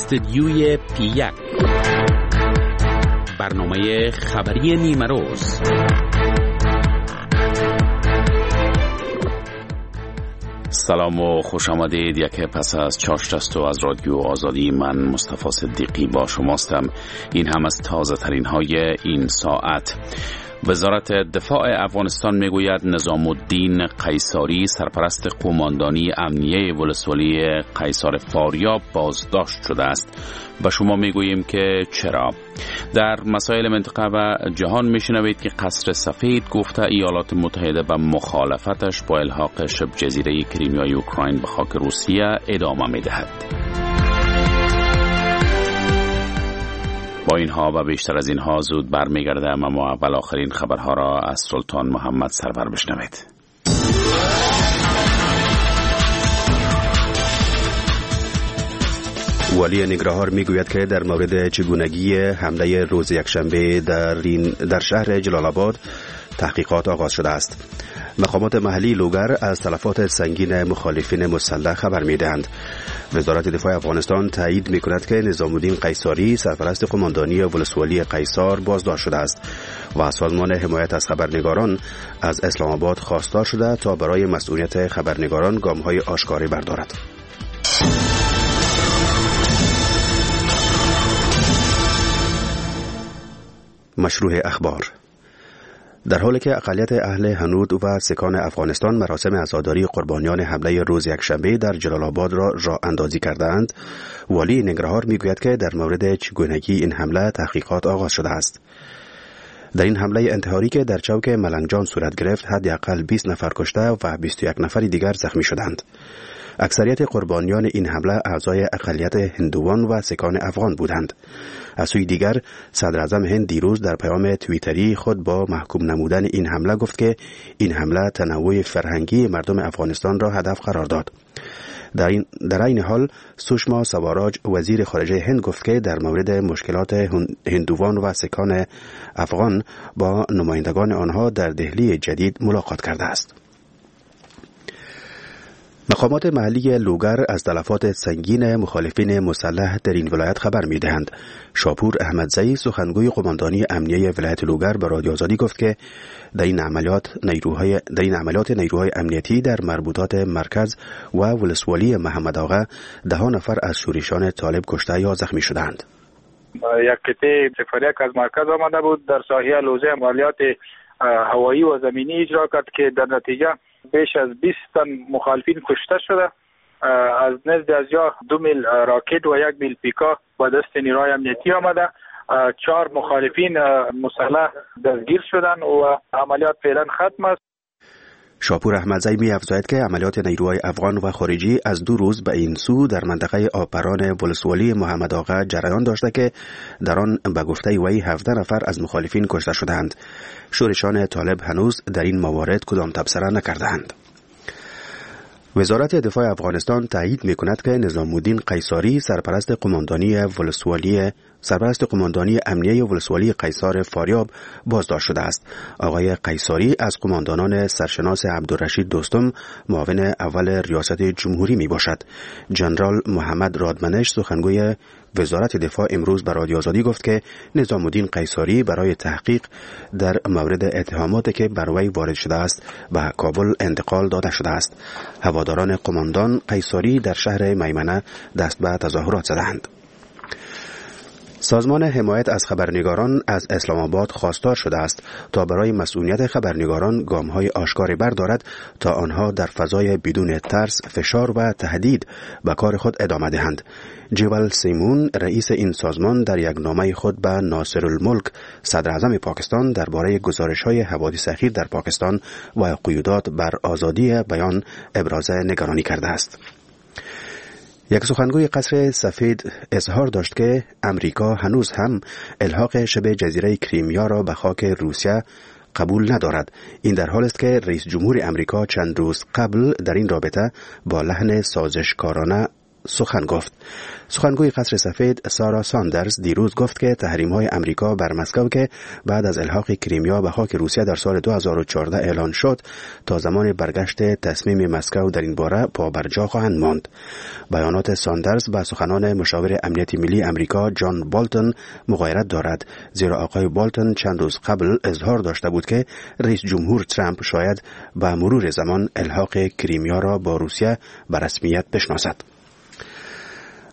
استدیوی پی 1، برنامه خبری نیمه روز. سلام و خوش آمدید. یک پس از چاشت است و از رادیو آزادی، من مصطفی صدیقی با شماستم. این هم از تازه ترین های این ساعت. وزارت دفاع افغانستان میگوید نظام الدین قیصاری، سرپرست قوماندانی امنیه ولسوالی قیصار فاریاب، بازداشت شده است. به شما میگوییم که چرا. در مسائل منطقه و جهان میشنوید که قصر سفید گفته ایالات متحده به مخالفتش با الحاق شبه جزیره کریمیای اوکراین به خاک روسیه ادامه میدهد. با اینها و بیشتر از اینها زود برمیگردم، اما اول آخرین خبرها را از سلطان محمد سرور بشنوید. والی ننگرهار میگوید که در مورد چگونگی حمله روز یکشنبه در شهر جلال آباد تحقیقات آغاز شده است. مقامات محلی لوگر از تلفات سنگین مخالفین مسلح خبر میدهند. وزارت دفاع افغانستان تایید میکند که نظام الدین قیصاری، سرپرست قماندانی ولسوالی قیصار، بازداشت شده است و سازمان حمایت از خبرنگاران از اسلام آباد خواستار شده تا برای مسئولیت خبرنگاران گام‌های آشکاری بردارد. مشروع اخبار. در حالی که اقلیت اهل هنود و سکان افغانستان مراسم عزاداری قربانیان حمله روز یکشنبه در جلال آباد را راه اندازی کردند، والی ننگرهار میگوید که در مورد چگونگی این حمله تحقیقات آغاز شده است. در این حمله انتحاری که در چوک ملنگجان صورت گرفت، حداقل 20 نفر کشته و 21 نفر دیگر زخمی شدند. اکثریت قربانیان این حمله اعضای اقلیت هندوان و سکان افغان بودند. از سوی دیگر، صدر اعظم هند دیروز در پیام توییتری خود با محکوم نمودن این حمله گفت که این حمله تنوع فرهنگی مردم افغانستان را هدف قرار داد. در این حال، سوشما سواراج، وزیر خارجه هند، گفت که در مورد مشکلات هندوان و سکان افغان با نمایندگان آنها در دهلی جدید ملاقات کرده است. مقامات محلی لوگر از تلفات سنگین مخالفین مسلح در این ولایت خبر می‌دهند. شاپور احمدزی، سخنگوی قماندانی امنیه ولایت لوگر، به رادیو آزادی گفت که در این عملیات نیروهای امنیتی در مربوطات مرکز و ولسوالی محمد آغا ده نفر از شورشیان طالب کشته یا زخمی شدند. یک قطعه 01 از مرکز آمده بود، در ساحه لوزه عملیات هوایی و زمینی اجرا کرد که در نتیجه بیش از 20 تن مخالفین کشته شده. از نزد از یا 2 میل راکت و 1 میل پیکا با دست نیروهای امنیتی آمده. 4 مخالفین مسلح دستگیر شدند و عملیات فعلا ختم است. شاپور احمدزی می افزاید که عملیات نیروهای افغان و خارجی از 2 روز به این سو در منطقه آپران ولسوالی محمد آغا جریان داشته که در آن به گفته وی 17 نفر از مخالفین کشته شدند. شورشان طالب هنوز در این موارد کدام تبصره نکردند. وزارت دفاع افغانستان تایید می کند که نظام الدین قیصاری، سرپرست قماندانی امنیه ولسوالی قیصار فاریاب، بازداشت شده است. آقای قیصاری از قماندانان سرشناس عبدالرشید دوستم، معاون اول ریاست جمهوری می باشد. جنرال محمد رادمنش، سخنگوی وزارت دفاع، امروز به رادیو آزادی گفت که نظام الدین قیصاری برای تحقیق در مورد اتهاماتی که بر وی وارد شده است به کابل انتقال داده شده است. هواداران قماندان قیصاری در شهر میمنه دست به تظاهرات زدند. سازمان حمایت از خبرنگاران از اسلام آباد خواستار شده است تا برای مسئولیت خبرنگاران گام‌های آشکاری بردارد تا آنها در فضای بدون ترس، فشار و تهدید به کار خود ادامه دهند. جیول سیمون، رئیس این سازمان، در یک نامه خود به ناصر الملک، صدر اعظم پاکستان، درباره گزارش‌های حوادث اخیر در پاکستان و قیودات بر آزادی بیان ابراز نگرانی کرده است. یک سخنگوی قصر سفید اظهار داشت که امریکا هنوز هم الحاق شبه جزیره کریمیا را به خاک روسیه قبول ندارد. این در حال است که رئیس جمهور امریکا چند روز قبل در این رابطه با لحن سازشکارانه سخن گفت. سخنگوی قصر سفید سارا ساندرز دیروز گفت که تحریم‌های امریکا بر مسکو که بعد از الحاق کریمیا به خاک روسیه در سال 2014 اعلان شد تا زمان برگشت تصمیم مسکو در این باره پابرجا خواهند ماند. بیانات ساندرز به سخنان مشاور امنیت ملی امریکا جان بالتون مغایرت دارد، زیرا آقای بالتون چند روز قبل اظهار داشته بود که رئیس جمهور ترامپ شاید به مرور زمان الحاق کریمیا را با روسیه به رسمیت بشناسد.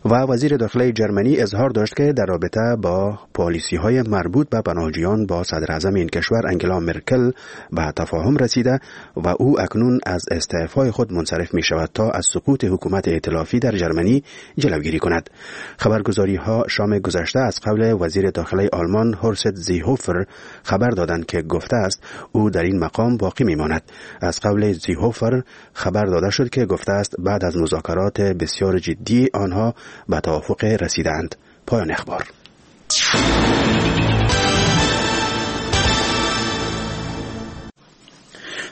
و وزیر داخله جرمنی اظهار داشت که در رابطه با پالیسی های مربوط به پناهجویان با صدر اعظم این کشور انگلا مرکل به تفاهم رسیده و او اکنون از استعفای خود منصرف می شود تا از سقوط حکومت ائتلافی در جرمنی جلوگیری کند. خبرگزاری ها شام گذشته از قول وزیر داخله آلمان هورست زیهوفر خبر دادند که گفته است او در این مقام باقی می ماند. از قول زیهوفر خبر داده شد که گفته است بعد از مذاکرات بسیار جدی آنها به توافق رسیدند. پایان اخبار.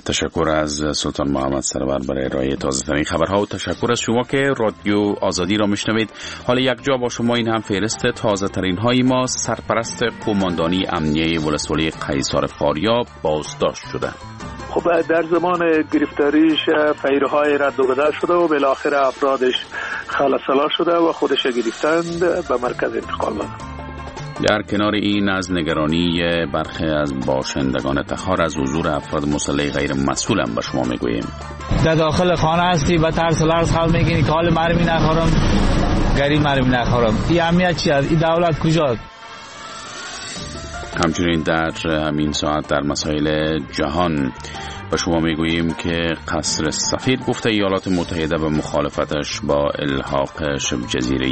تشکر از سلطان محمد سرور برای ارائه تازه ترین خبرها و تشکر از شما که رادیو آزادی را میشنوید. حالا یک جا با شما این هم فهرست تازه ترین های ما. سرپرست قوماندانی امنیه ولسوالی قیصار فاریاب بازداشت شده. خب در زمان گرفتاریش فیرهای رد و بدل شده و بالاخره افرادش خلع سلاح شده و خودش گرفتند به مرکز انتقال دادند. در کنار این از نگرانی برخی از باشندگان تخار از حضور افراد مسلح غیر مسئول هم به شما میگوییم. در داخل خانه هستی با ترس لرز خال میگی که حال مرمی نخورم، گری مرمی نخورم. این امنیت چی است؟ این دولت کجاست؟ همچنین در همین ساعت در مسائل جهان به شما میگوییم که قصر سفید گفته ایالات متحده به مخالفتش با الحاق شبه جزیره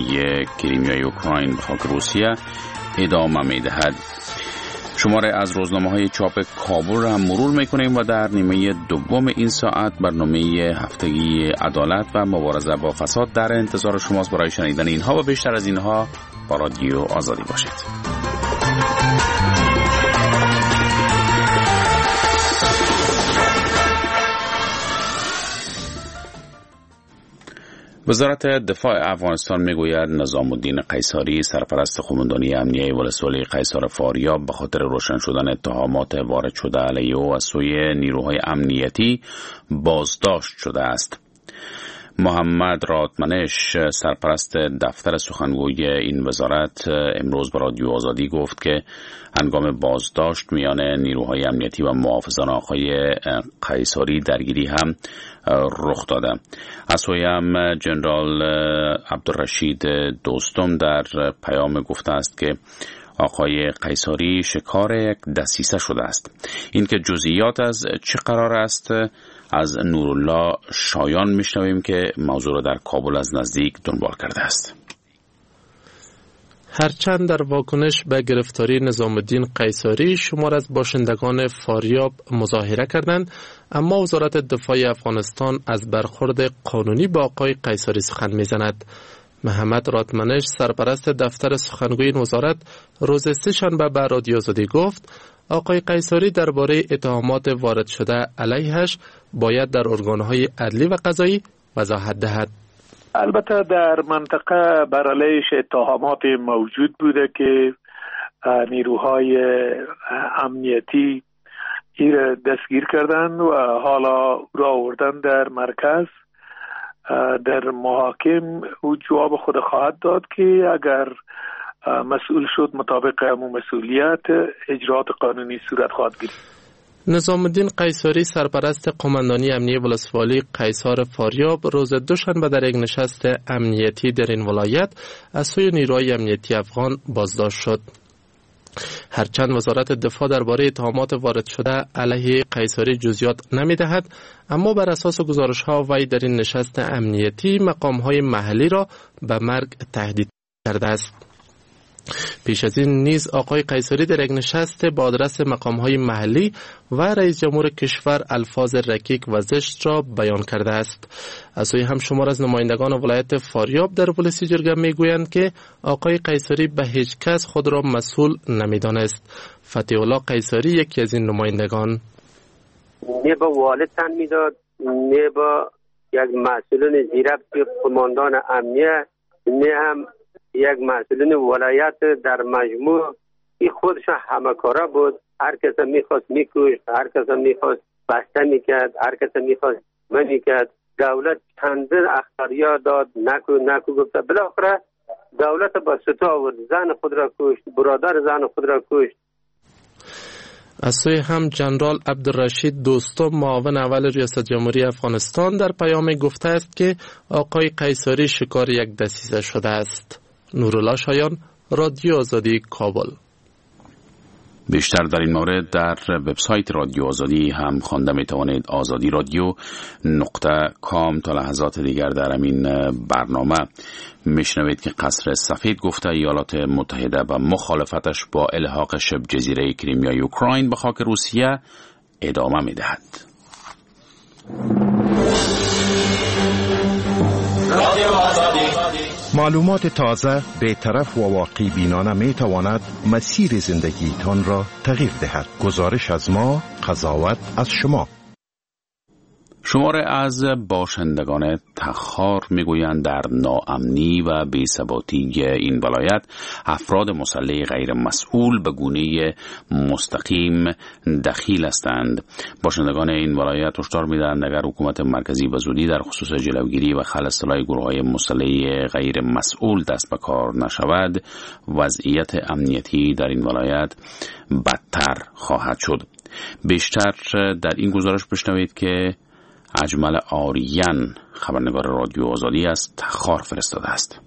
کریمیای اوکراین به خاک روسیه ادامه میدهد. شماره از روزنامه‌های چاپ کابل را هم مرور میکنیم و در نیمه دوم این ساعت برنامه هفتگی عدالت و مبارزه با فساد در انتظار شماست. برای شنیدن اینها و بیشتر از اینها با رادیو آزادی باشید. وزارت دفاع افغانستان میگوید نظام الدین قیصاری سرپرست قوماندانی امنیه ولسوالی قیصار فاریاب به خاطر روشن شدن اتهامات وارد شده علیه او از سوی نیروهای امنیتی بازداشت شده است. محمد رادمنش سرپرست دفتر سخنگوی این وزارت امروز به رادیو آزادی گفت که هنگام بازداشت میان نیروهای امنیتی و محافظان آقای قیصاری درگیری هم رخ داده. از سوی هم جنرال عبدالرشید دوستم در پیام گفته است که آقای قیصاری شکار یک دسیسه شده است. اینکه جزئیات از چه قرار است از نورالله شایان میشنویم که موضوع را در کابل از نزدیک دنبال کرده است. هرچند در واکنش به گرفتاری نظام الدین قیصاری شمار از باشندگان فاریاب مظاهره کردند، اما وزارت دفاع افغانستان از برخورد قانونی با آقای قیصاری سخن میزند. محمد رادمنش سرپرست دفتر سخنگوی این وزارت روز سه‌شنبه به رادیو آزادی گفت آقای قیصاری درباره اتهامات وارد شده علیهش باید در ارگان‌های عدلی و قضایی وضاحت دهد. البته در منطقه بر علیهش اتهامات موجود بوده که نیروهای امنیتی این دستگیر کردند و حالا را آوردن در مرکز. در محاکم او جواب خود خواهد داد که اگر مسئول شد مطابق مسئولیت اجرات قانونی صورت خواهد گرفت. نظام الدین قیصاری سرپرست قوماندانی امنیه ولسوالی قیصار فاریاب روز دوشنبه در یک نشست امنیتی در این ولایت از سوی نیروهای امنیتی افغان بازداشت شد. هرچند وزارت دفاع درباره اتهامات وارد شده علیه قیصاری جزئیات نمی‌دهد، اما بر اساس گزارش‌ها وی در این نشست امنیتی مقام‌های محلی را به مرگ تهدید کرده است. پیش از این نیز آقای قیصاری در یک نشست با آدرس مقام‌های محلی و رئیس جمهور کشور الفاظ رکیک و زشت را بیان کرده است. از سوی هم شمار از نمایندگان ولایت فاریاب در ولسی جرگه میگویند که آقای قیصاری به هیچ کس خود را مسئول نمیدانست. فتح الله قیصاری یکی از این نمایندگان: نه با والد تن میداد، نه با یک مسئولین زیربط قماندان امنیه، نه هم یک مسئولین ولایت. در مجموع این خودش همه کارا بود. هر کس میخواست میکشت، هر کس میخواست بسته میکرد، هر کس میخواست میکرد. دولت چندین اخطاریا داد، نکو گفته، بالاخره دولت با ستا آورد، زن خود را کشت، برادر زن خود را کشت. از سوی هم جنرال عبدالرشید دوستم، معاون اول ریاست جمهوری افغانستان، در پیام گفته است که آقای قیصاری شکار یک دسیسه شده است. نورالله شایان، رادیو آزادی، کابل. بیشتر در این مورد در وبسایت رادیو آزادی هم خوانده می توانید، آزادی رادیو .com. تا لحظات دیگر در همین برنامه میشنوید که قصر سفید گفته ایالات متحده و مخالفتش با الحاق شبه جزیره کریمیای اوکراین به خاک روسیه ادامه می دهد. معلومات تازه، بی‌طرف و واقع بینانه می تواند مسیر زندگیتان را تغییر دهد. گزارش از ما، قضاوت از شما. شمار از باشندگان تخار میگویند در ناامنی و بی‌ثباتی این ولایت افراد مسلح غیر مسئول به گونه مستقیم دخیل هستند. باشندگان این ولایت هشدار میدهند اگر حکومت مرکزی به زودی در خصوص جلوگیری و خلع سلاح گروه‌های مسلح غیر مسئول دست به کار نشود، وضعیت امنیتی در این ولایت بدتر خواهد شد. بیشتر در این گزارش بشنوید که اجمل آریان، خبرنگار رادیو آزادی، از تخار فرستاده است.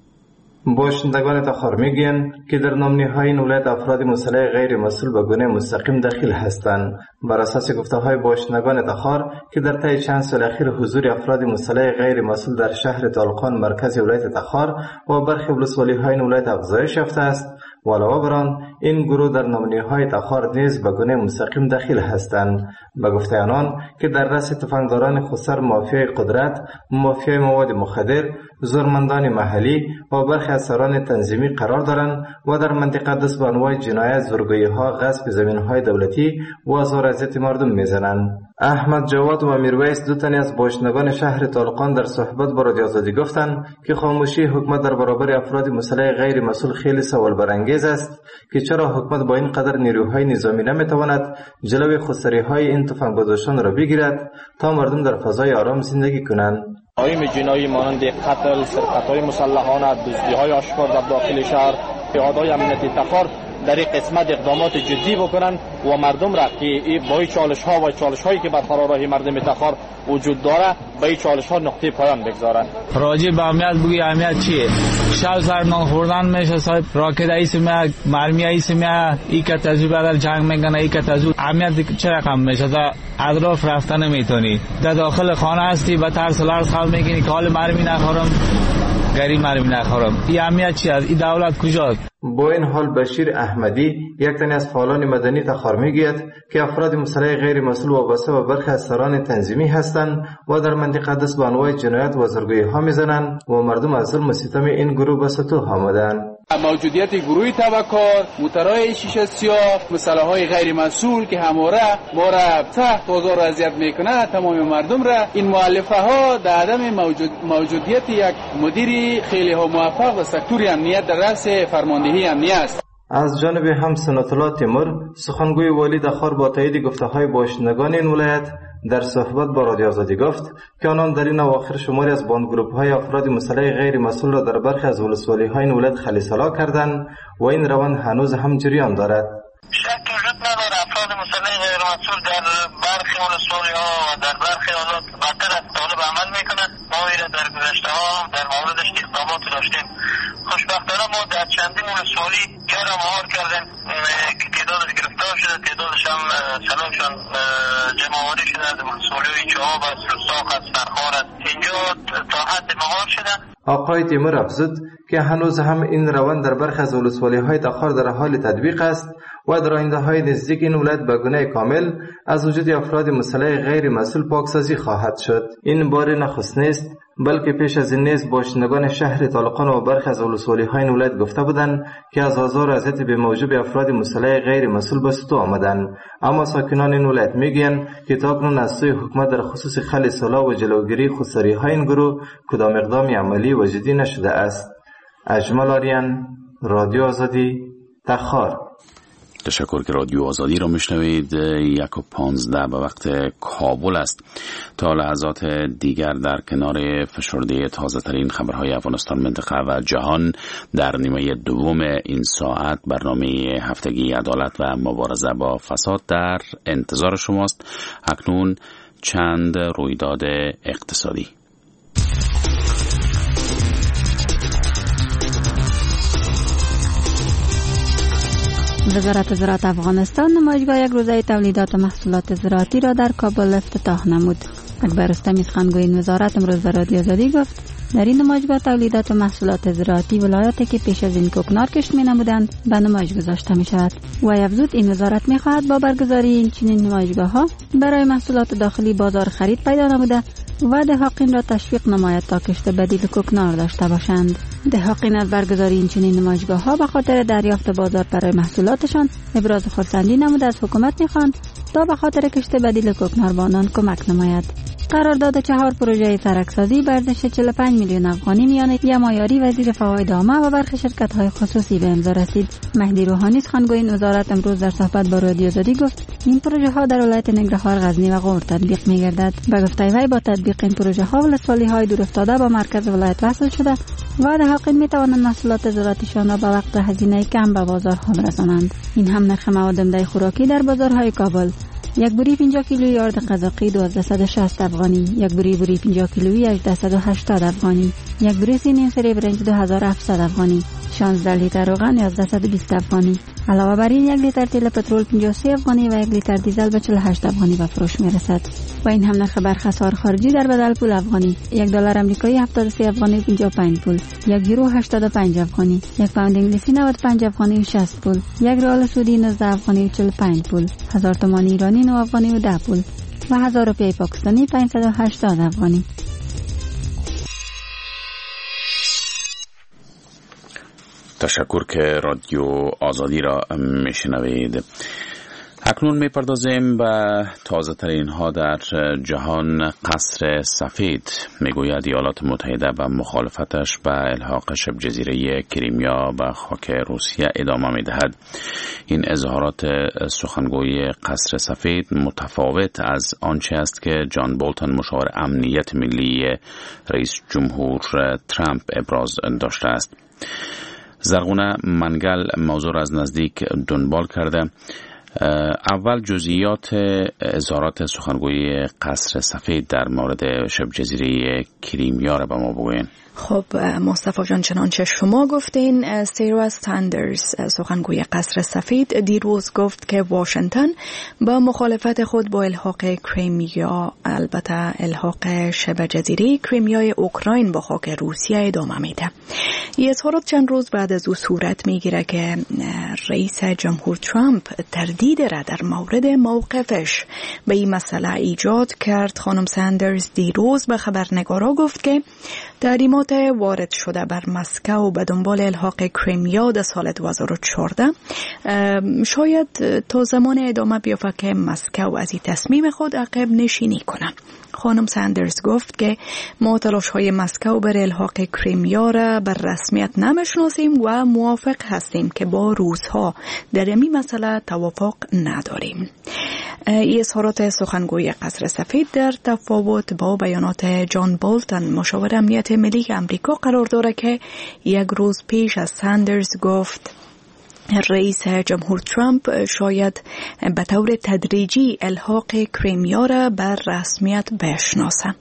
باشندگان تخار میگویند که در نامنی‌های این ولایت افراد مسلح غیر مسئول به گونه مستقیم دخیل هستند. بر اساس گفته‌های باشندگان تخار که در طی چند سال اخیر حضور افراد مسلح غیر مسئول در شهر طالقان، مرکز ولایت تخار و برخی ولسوالی‌های این ولایت افزایش یافته است و علاوه بر آن این گروه در نامنی‌های تخار نیز به گونه مستقیم دخیل هستند. به گفته آنان که در رأس تفنگداران خودسر، مافیای قدرت، مافیای مواد مخدر، زورمندان محلی و برخی از سران تنظیمی قرار دارند و در منطقه دست به انواع جنایت، زورگویی‌ها، غصب زمین‌های دولتی و آزار اذیت مردم میزنند. احمد جواد و میرویس، دو تن از باشندگان شهر طالقان، در صحبت با رادیو آزادی گفتند که خاموشی حکومت در برابر افراد مسلح غیر مسئول خیلی سوال برانگیز است که چرا حکومت با این قدر نیروهای نظامی نمیتواند جلوی خودسری‌های این تفنگبرداشتان را بگیرد تا مردم در فضای آرام زندگی کنند. جرایم جنایی مانند قتل، سرقت‌های مسلحانه، دزدی‌های آشکار در داخل شهر، نهادهای امنیتی تخار در این قسمت اقدامات جدی بکنند و مردم را که با چالش‌ها و چالش‌هایی که بر فراراه مردم تخار وجود داره به این چالش‌ها نقطه پایان بگذارند. راجع به امنیت بگی، امنیت چیه؟ شب سر نان خوردن میشه، صاحب راکت ایس میاد، مرمی ایس میاد، ای که تجربه بدل جنگ میکنه، ای که تجربه امنیت چه رقم میشه؟ در اطراف رفتن نمیتونی، در داخل خانه هستی، به ترس لرز خال میگینی که حال مرمی نخورم، گری مرمی نخورم. این امنیت چی است؟ این دولت کجاست؟ با این حال بشیر احمدی، یک تن از فعالان مدنی تخار، میگوید که افراد مسلح غیر مسئول وابسته به برخی از سران تنظیمی هستند و در منطقه دست به انواع جنایت و زورگویی‌ها میزنند و مردم از ظلم و ستم این گروه به ستوه آمدند. موجودیت گروه تبکار، موترهای شیشه سیاه، مسلح‌های غیر مسئول که همواره ما را تحت آزار و اذیت میکنه تمام مردم را، این مؤلفه ها در عدم موجودیت یک مدیر خیلی ها موفق و سکتور امنیت در رأس فرماندهی امنیت است. از جانب هم سنت‌الله تیمور، سخنگوی والی تخار، با تایید گفته‌های باشندگان این ولایت در صحبت با رادیو آزادی گفت که آنان در این اواخر شماری از باند گروپ‌های افراد مسلح غیر مسئول را در برخی از ولسوالی‌های این ولایت خلع سلاح کردند و این روند هنوز هم جریان دارد. شک وجود نداره افراد مسلح غیر مسئول در برخی ولسوالی‌ها و در برخی حالات بدتر از طالب عمل میکنند. ما ایره در گذشته ها در موردش اقدامات داشتیم. خوشبختانه ما در چندین ولسوالی را مهار کردیم که تعدادش گرفتار شده، تعدادش هم سلاحشان جمع‌آوری شده از ولسوالی‌های چهاب است، رساق است، فرخار است، اینجا تا حد مهار شده. آقای تیمور افزود که هنوز هم این روند در برخی از ولسوالی‌های تخار در حال تطبیق است و در آینده های نزدیک این ولایت به گونه کامل از وجود افراد مسلح غیر مسئول پاکسازی خواهد شد. این بار نخست نیست، بلکه پیش از این نیز باشندگان شهر طالقان و برخی از ولسوالی‌های این ولایت گفته بودند که از آزار و اذیت به موجب افراد مسلح غیر مسئول به ستوه آمدند. اما ساکنان این ولایت میگویند که تاکنون از سوی حکومت در خصوص خلع سلاح و جلوگیری خودسری‌های این گروه کدام اقدام عملی و جدی نشده است. اجمل آریان، رادیو آزادی، تخار. تشکر که رادیو آزادی را میشنوید. 1:15 به وقت کابل است. تا لحظات دیگر در کنار فشرده تازه ترین خبرهای افغانستان، منطقه و جهان در نیمه دوم این ساعت برنامه هفتگی عدالت و مبارزه با فساد در انتظار شماست. اکنون چند رویداد اقتصادی. وزارت زراعت افغانستان نمایشگاه یک روزه تولیدات و محصولات زراعتی را در کابل افتتاح نمود. اکبر رستمی سخنگوی این وزارت امروز به رادیو آزادی گفت در این نمایشگاه تولیدات و محصولات زراعتی ولایاتی که پیش از این کوکنار کشت می‌نمودند به نمایش گذاشته می‌شود. و افزود این وزارت می‌خواهد با برگزاری این چنین نمایشگاه‌ها برای محصولات داخلی بازار خرید پیدا نموده و دهاقین را تشویق نماید تا کشت بدیل کوکنار داشته باشند. دهاقین از برگزاری این چنین نمایشگاه‌ها به خاطر دریافت بازار برای محصولاتشان ابراز خرسندی نموده از حکومت می‌خواهند تا به خاطر کشت بدیل کوکنار به آنان کمک نماید. قرارداد 4 پروژه سرکسازی به ارزش 45 میلیون افغانی میان یمایاری وزیر فواید عامه و برخی شرکت‌های خصوصی به امضا رسید. مهدی روحانی سخنگوی این وزارت امروز در صحبت با رادیو آزادی گفت این پروژه ها در ولایت ننگرهار، غزنی و غور تطبیق می‌گردد. به گفته وی با تطبیق این پروژه ها ولسوالی‌های دورافتاده با مرکز ولایت وصل شده و دهاقین می‌توانند محصولات زراعتیشان را به وقت و هزینه کم به بازارها برسانند. این هم نرخ مواد عمده خوراکی در بازارهای کابل: یک بوری 50 کیلویی آرد قزاقی 1260 افغانی، یک بوری بوری 50 کیلویی 1880 افغانی، یک بوری سینی سری برنج 2700 افغانی، 16 لیتر روغن 1120 افغانی. علاوه بر این یک لیتر تیل پترول 53 افغانی و یک لیتر دیزل به 48 افغانی به فروش میرسد. و این هم نرخ برخ اسعار خارجی در بدل پول افغانی: یک دلار آمریکایی 73 افغانی 55 پول، یک یورو 85 افغانی، یک پوند انگلیسی 95 افغانی و 60 پول، یک ریال سعودی 19 افغانی و 45 پول، 1000 تومان ایرانی 9 افغانی و 10 پول و 1000 روپیه پاکستانی 580 افغانی. تشکر که رادیو آزادی را میشنوید. اکنون میپردازیم به تازه ترین ها در جهان. قصر سفید میگوید ایالات متحده به مخالفتش به الحاق شبه جزیره کریمیا به خاک روسیه ادامه میدهد. این اظهارات سخنگوی قصر سفید متفاوت از آنچه است که جان بولتون مشاور امنیت ملی رئیس جمهور ترامپ ابراز داشته است. زرغونه منگل موضوع را از نزدیک دنبال کرده. اول جزئیات اظهارات سخنگوی قصر سفید در مورد شبه جزیره کریمیا را به ما بگوین. خب مصطفی جان، چنانچه شما گفتین، سارا ساندرز سخنگوی قصر سفید دیروز گفت که واشنگتن با مخالفت خود با الحاق کریمیا، البته الحاق شبه جزیره کریمیای اوکراین با خاک روسیه ادامه میده. این اظهارات چند روز بعد از او صورت میگیره که رئیس جمهور ترامپ تردید را در مورد موقفش به این مسئله ایجاد کرد. خانم ساندرز دیروز به خبرنگارا گفت که تحریمات وارد شده بر مسکو به دنبال الحاق کریمیا در سال 2014 شاید تا زمان ادامه بیافت که مسکو از این تصمیم خود عقب نشینی کنه. خانم ساندرز گفت که ما تلاش‌های مسکو بر الحاق کریمیا را بر رسمیت نمیشناسیم و موافق هستیم که با روس‌ها در این مسئله توافق نداریم. این اظهارات سخنگوی قصر سفید در تفاوت با بیانات جان بولتون مشاور امنیت ملی امریکا قرار دارد که یک روز پیش از ساندرز گفت رئیس جمهور ترامپ شاید به طور تدریجی الحاق کریمیا را بر رسمیت بشناسد.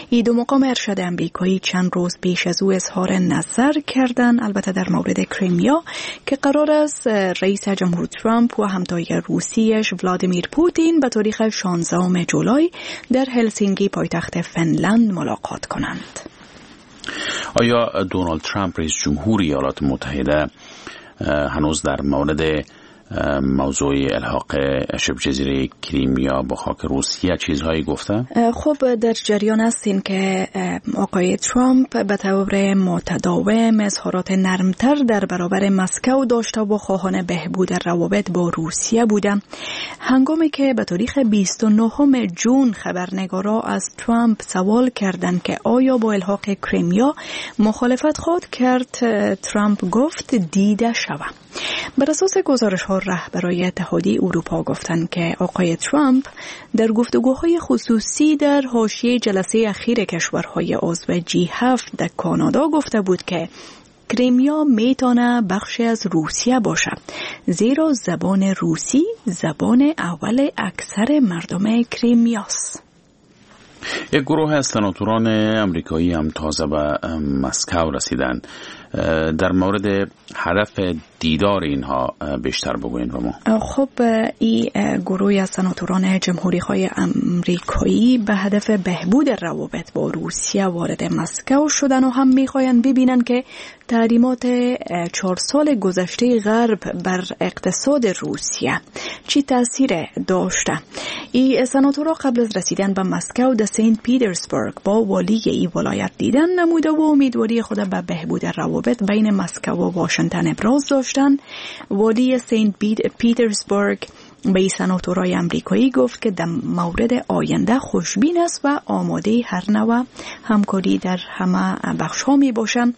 این دو مقام ارشد امریکایی چند روز پیش از او اظهار نظر کردند، البته در مورد کریمیا که قرار است رئیس جمهور ترامپ و همتای روسیش ولادیمیر پوتین به تاریخ 16 جولای در هلسینکی پایتخت فنلند ملاقات کنند. آیا دونالد ترامپ رئیس جمهور ایالات متحده هنوز در مورد موضوع الحاق شبه جزیره کریمیا با خاک روسیه چیزهایی گفته؟ خب در جریان هستین که آقای ترامپ به طور متداوم اظهارات نرمتر در برابر مسکو داشته و خواهان بهبود روابط با روسیه بوده. هنگامی که به تاریخ 29 جون خبرنگارا از ترامپ سوال کردند که آیا با الحاق کریمیا مخالفت خواهد کرد، ترامپ گفت دیده شوم. بر اساس گزارش ها رهبرای اتحادیه اروپا گفتند که آقای ترامپ در گفتگوهای خصوصی در حاشیه جلسه اخیر کشورهای عضو G7 در کانادا گفته بود که کریمیا میتونه بخشی از روسیه باشه، زیرا زبان روسی زبان اول اکثر مردم کریمیاست. یک گروه از سناتوران امریکایی هم تازه به مسکو رسیدند. در مورد هدف دیدار اینها بیشتر بگوین به ما. خب این گروه از سناتوران جمهوری خواه امریکایی به هدف بهبود روابط با روسیه وارد مسکو شدن و هم میخواین ببینن که تحریمات 4 سال گذشته غرب بر اقتصاد روسیه چی تاثیر داشته. این سناتورها قبل از رسیدن به مسکو در سنت پیترزبورگ با والی ای ولایت دیدن نموده و امیدواری خود به بهبود روابط بین مسکو و واشنگتن ابراز داشتند. والی سنت پیترزبورگ به سناتورای امریکایی گفت که در مورد آینده خوشبین است و آماده هر نوع همکاری در همه بخش‌ها می باشند.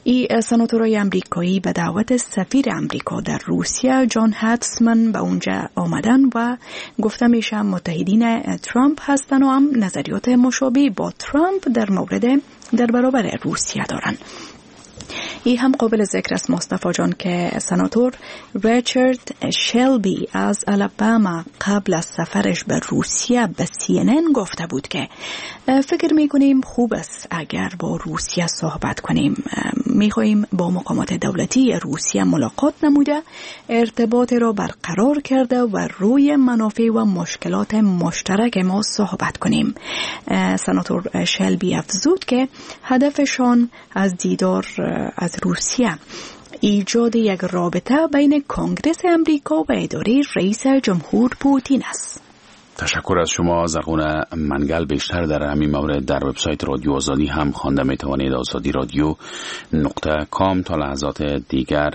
این سناتورای امریکایی به دعوت سفیر امریکا در روسیه جان هاتسمن به اونجا آمدن و گفته میشه متحدین ترامپ هستند و هم نظریات مشابه با ترامپ در مورد در برابر روسیه دارند. این هم قابل ذکر است مصطفی جان که سناتور ریچارد شلبی از الاباما قبل از سفرش به روسیه به CNN گفته بود که فکر میکنیم خوب است اگر با روسیه صحبت کنیم، میخواییم با مقامات دولتی روسیه ملاقات نموده، ارتباط را برقرار کرده و روی منافع و مشکلات مشترک ما صحبت کنیم. سناتور شلبی افزود که هدفشان از دیدار از روسیه ایجاد یک رابطه بین کنگرس امریکا و اداره رئیس جمهور پوتین است. تشکر از شما زرغونه منگل. بیشتر در همین مورد در وبسایت رادیو آزادی هم خوانده می توانید، آزادی رادیو .com. تا لحظات دیگر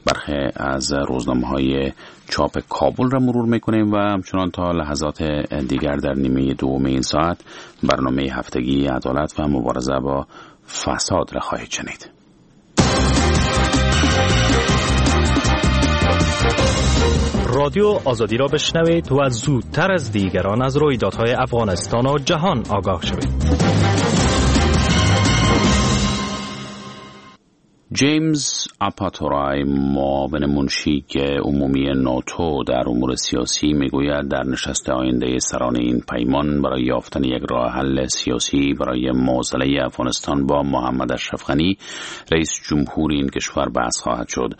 برخی از روزنامه‌های چاپ کابل را مرور میکنیم و همچنان تا لحظات دیگر در نیمه دوم این ساعت برنامه هفتگی عدالت و مبارزه با فساد را خواهید شنید. رادیو آزادی را بشنوید و زودتر از دیگران از رویدادهای افغانستان و جهان آگاه شوید. جیمز اپاتورای، معاون منشی عمومی ناتو در امور سیاسی، میگوید در نشست آینده سران این پیمان برای یافتن یک راه حل سیاسی برای معضله افغانستان با محمد اشرف غنی رئیس جمهور این کشور بحث خواهد شد.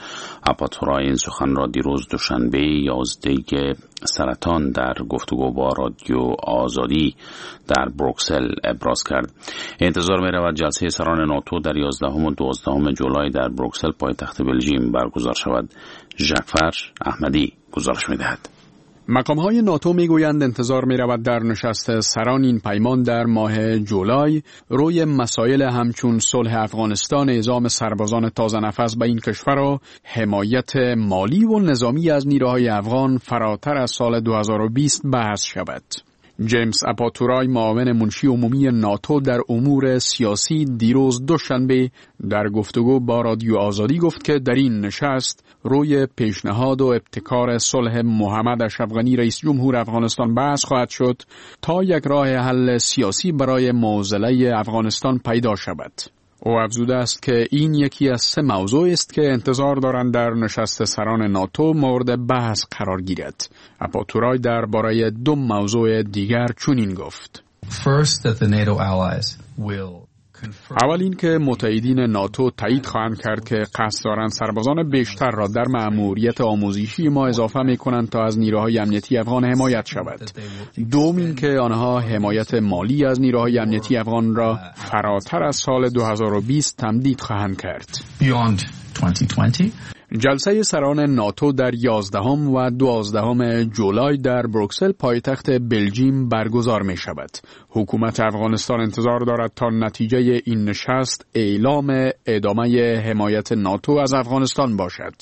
اپاتورای این سخن را دیروز دوشنبه 11 سرطان در گفتگو با رادیو آزادی در بروکسل ابراز کرد. انتظار می رود جلسه سران ناتو در 11 و 12 جولای در بروکسل پایتخت بلژیم برگزار شود. جعفر احمدی گزارش می دهد. مقام‌های ناتو میگویند انتظار می‌رود در نشست سران این پیمان در ماه جولای روی مسائل همچون صلح افغانستان، اعزام سربازان تازه نفس به این کشور و حمایت مالی و نظامی از نیروهای افغان فراتر از سال 2020 بحث شود. جیمز اپاتورای، معاون منشی عمومی ناتو در امور سیاسی، دیروز دوشنبه در گفتگو با رادیو آزادی گفت که در این نشست روی پیشنهاد و ابتکار صلح محمد اشرف غنی رئیس جمهور افغانستان بحث خواهد شد تا یک راه حل سیاسی برای معضله افغانستان پیدا شود. او افزوده است که این یکی از 3 موضوع است که انتظار دارند در نشست سران ناتو مورد بحث قرار گیرد. اپاتورای درباره 2 موضوع دیگر چنین گفت. اول این که متحدین ناتو تایید خواهند کرد که قصد دارند سربازان بیشتر را در مأموریت آموزشی ما اضافه می کنند تا از نیروهای امنیتی افغان حمایت شود. دوم این که آنها حمایت مالی از نیروهای امنیتی افغان را فراتر از سال 2020 تمدید خواهند کرد. جلسه سران ناتو در 11 و 12 جولای در بروکسل پایتخت بلژیم برگزار می شود. حکومت افغانستان انتظار دارد تا نتیجه این نشست اعلام ادامه حمایت ناتو از افغانستان باشد.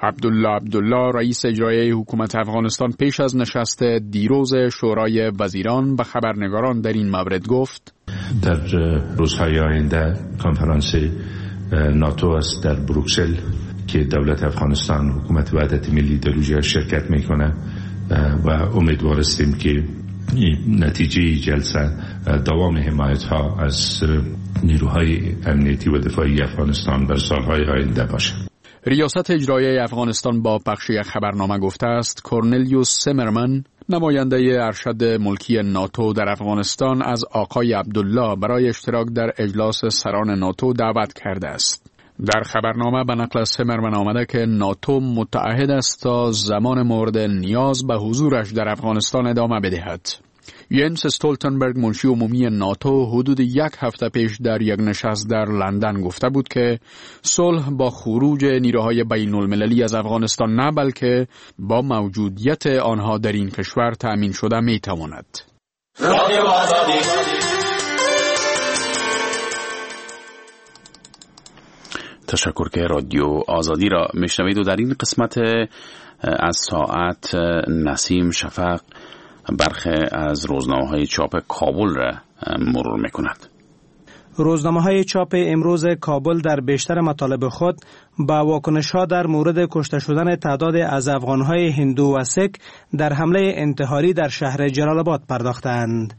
عبدالله عبدالله، رئیس اجرایی حکومت افغانستان، پیش از نشست دیروز شورای وزیران به خبرنگاران در این مورد گفت: در روزهای آینده کنفرانس ناتو است در بروکسل که دولت افغانستان، حکومت وحدت ملی در اونجا شرکت میکنه و امیدوار هستیم که نتیجه جلسه دوام حمایت ها از نیروهای امنیتی و دفاعی افغانستان بر سالهای آینده باشه. ریاست اجرایی افغانستان با پخش یک خبرنامه گفته است کورنلیوس سمرمن، نماینده ارشد ملکی ناتو در افغانستان، از آقای عبدالله برای اشتراک در اجلاس سران ناتو دعوت کرده است. در خبرنامه به نقل از سمرمن آمده که ناتو متعهد است تا زمان مورد نیاز به حضورش در افغانستان ادامه بدهد. ینس استولتنبرگ، منشی عمومی ناتو، حدود یک هفته پیش در یک نشست در لندن گفته بود که صلح با خروج نیروهای بین المللی از افغانستان نه، بلکه با موجودیت آنها در این کشور تأمین شده می تواند. تشکر که رادیو آزادی را میشنوید و در این قسمت از ساعت نسیم شفق برخی از روزنامه‌های چاپ کابل را مرور می‌کند. روزنامه‌های چاپ امروز کابل در بیشتر مطالب خود با واکنش‌ها در مورد کشته شدن تعداد از افغان‌های هندو و سک در حمله انتحاری در شهر جلال آباد پرداختند.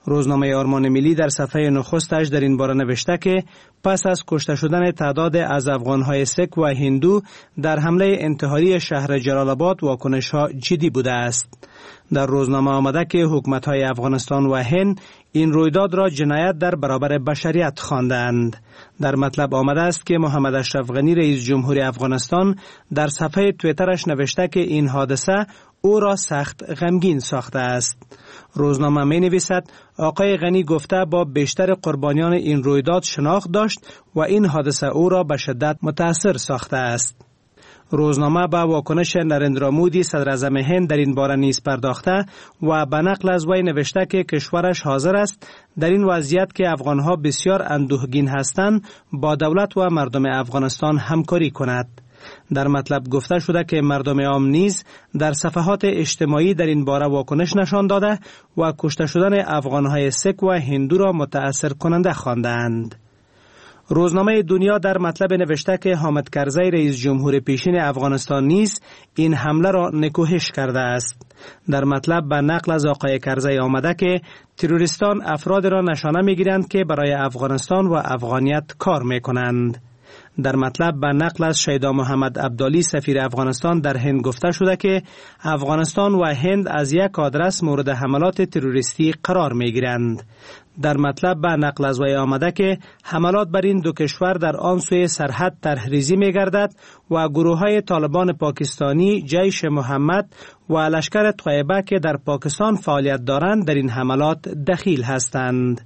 روزنامه آرمان ملی در صفحه نخستش در این باره نوشته که پس از کشته شدن تعداد از افغان‌های سک و هندو در حمله انتحاری شهر جلال آباد واکنش‌ها جدی بوده است. در روزنامه آمده که حکومت‌های افغانستان و هند این رویداد را جنایت در برابر بشریت خواندند. در مطلب آمده است که محمد اشرف غنی، رئیس جمهوری افغانستان، در صفحه توییترش نوشته که این حادثه او را سخت غمگین ساخته است. روزنامه می نویسد آقای غنی گفته با بیشتر قربانیان این رویداد شناخت داشت و این حادثه او را به شدت متاثر ساخته است. روزنامه به واکنش نرندرا مودی، صدراعظم هند، در این باره نیز پرداخته و به نقل از وی نوشته که کشورش حاضر است در این وضعیت که افغانها بسیار اندوهگین هستند با دولت و مردم افغانستان همکاری کند. در مطلب گفته شده که مردم عام نیز در صفحات اجتماعی در این باره واکنش نشان داده و کشته شدن افغانهای سک و هندو را متأثر کننده خواندند. روزنامه دنیا در مطلب نوشته که حامد کرزی، رئیس جمهور پیشین افغانستان، نیز این حمله را نکوهش کرده است. در مطلب به نقل از آقای کرزی آمده که تروریستان افراد را نشانه میگیرند که برای افغانستان و افغانیت کار میکنند. در مطلب به نقل از شیدا محمد عبدالی، سفیر افغانستان در هند، گفته شده که افغانستان و هند از یک آدرس مورد حملات تروریستی قرار میگیرند. در مطلب به نقل از وی آمده که حملات بر این دو کشور در آن سوی سرحد طرح‌ریزی می‌گردد و گروه‌های طالبان پاکستانی، جیش محمد و لشکر طیبه که در پاکستان فعالیت دارند در این حملات دخیل هستند.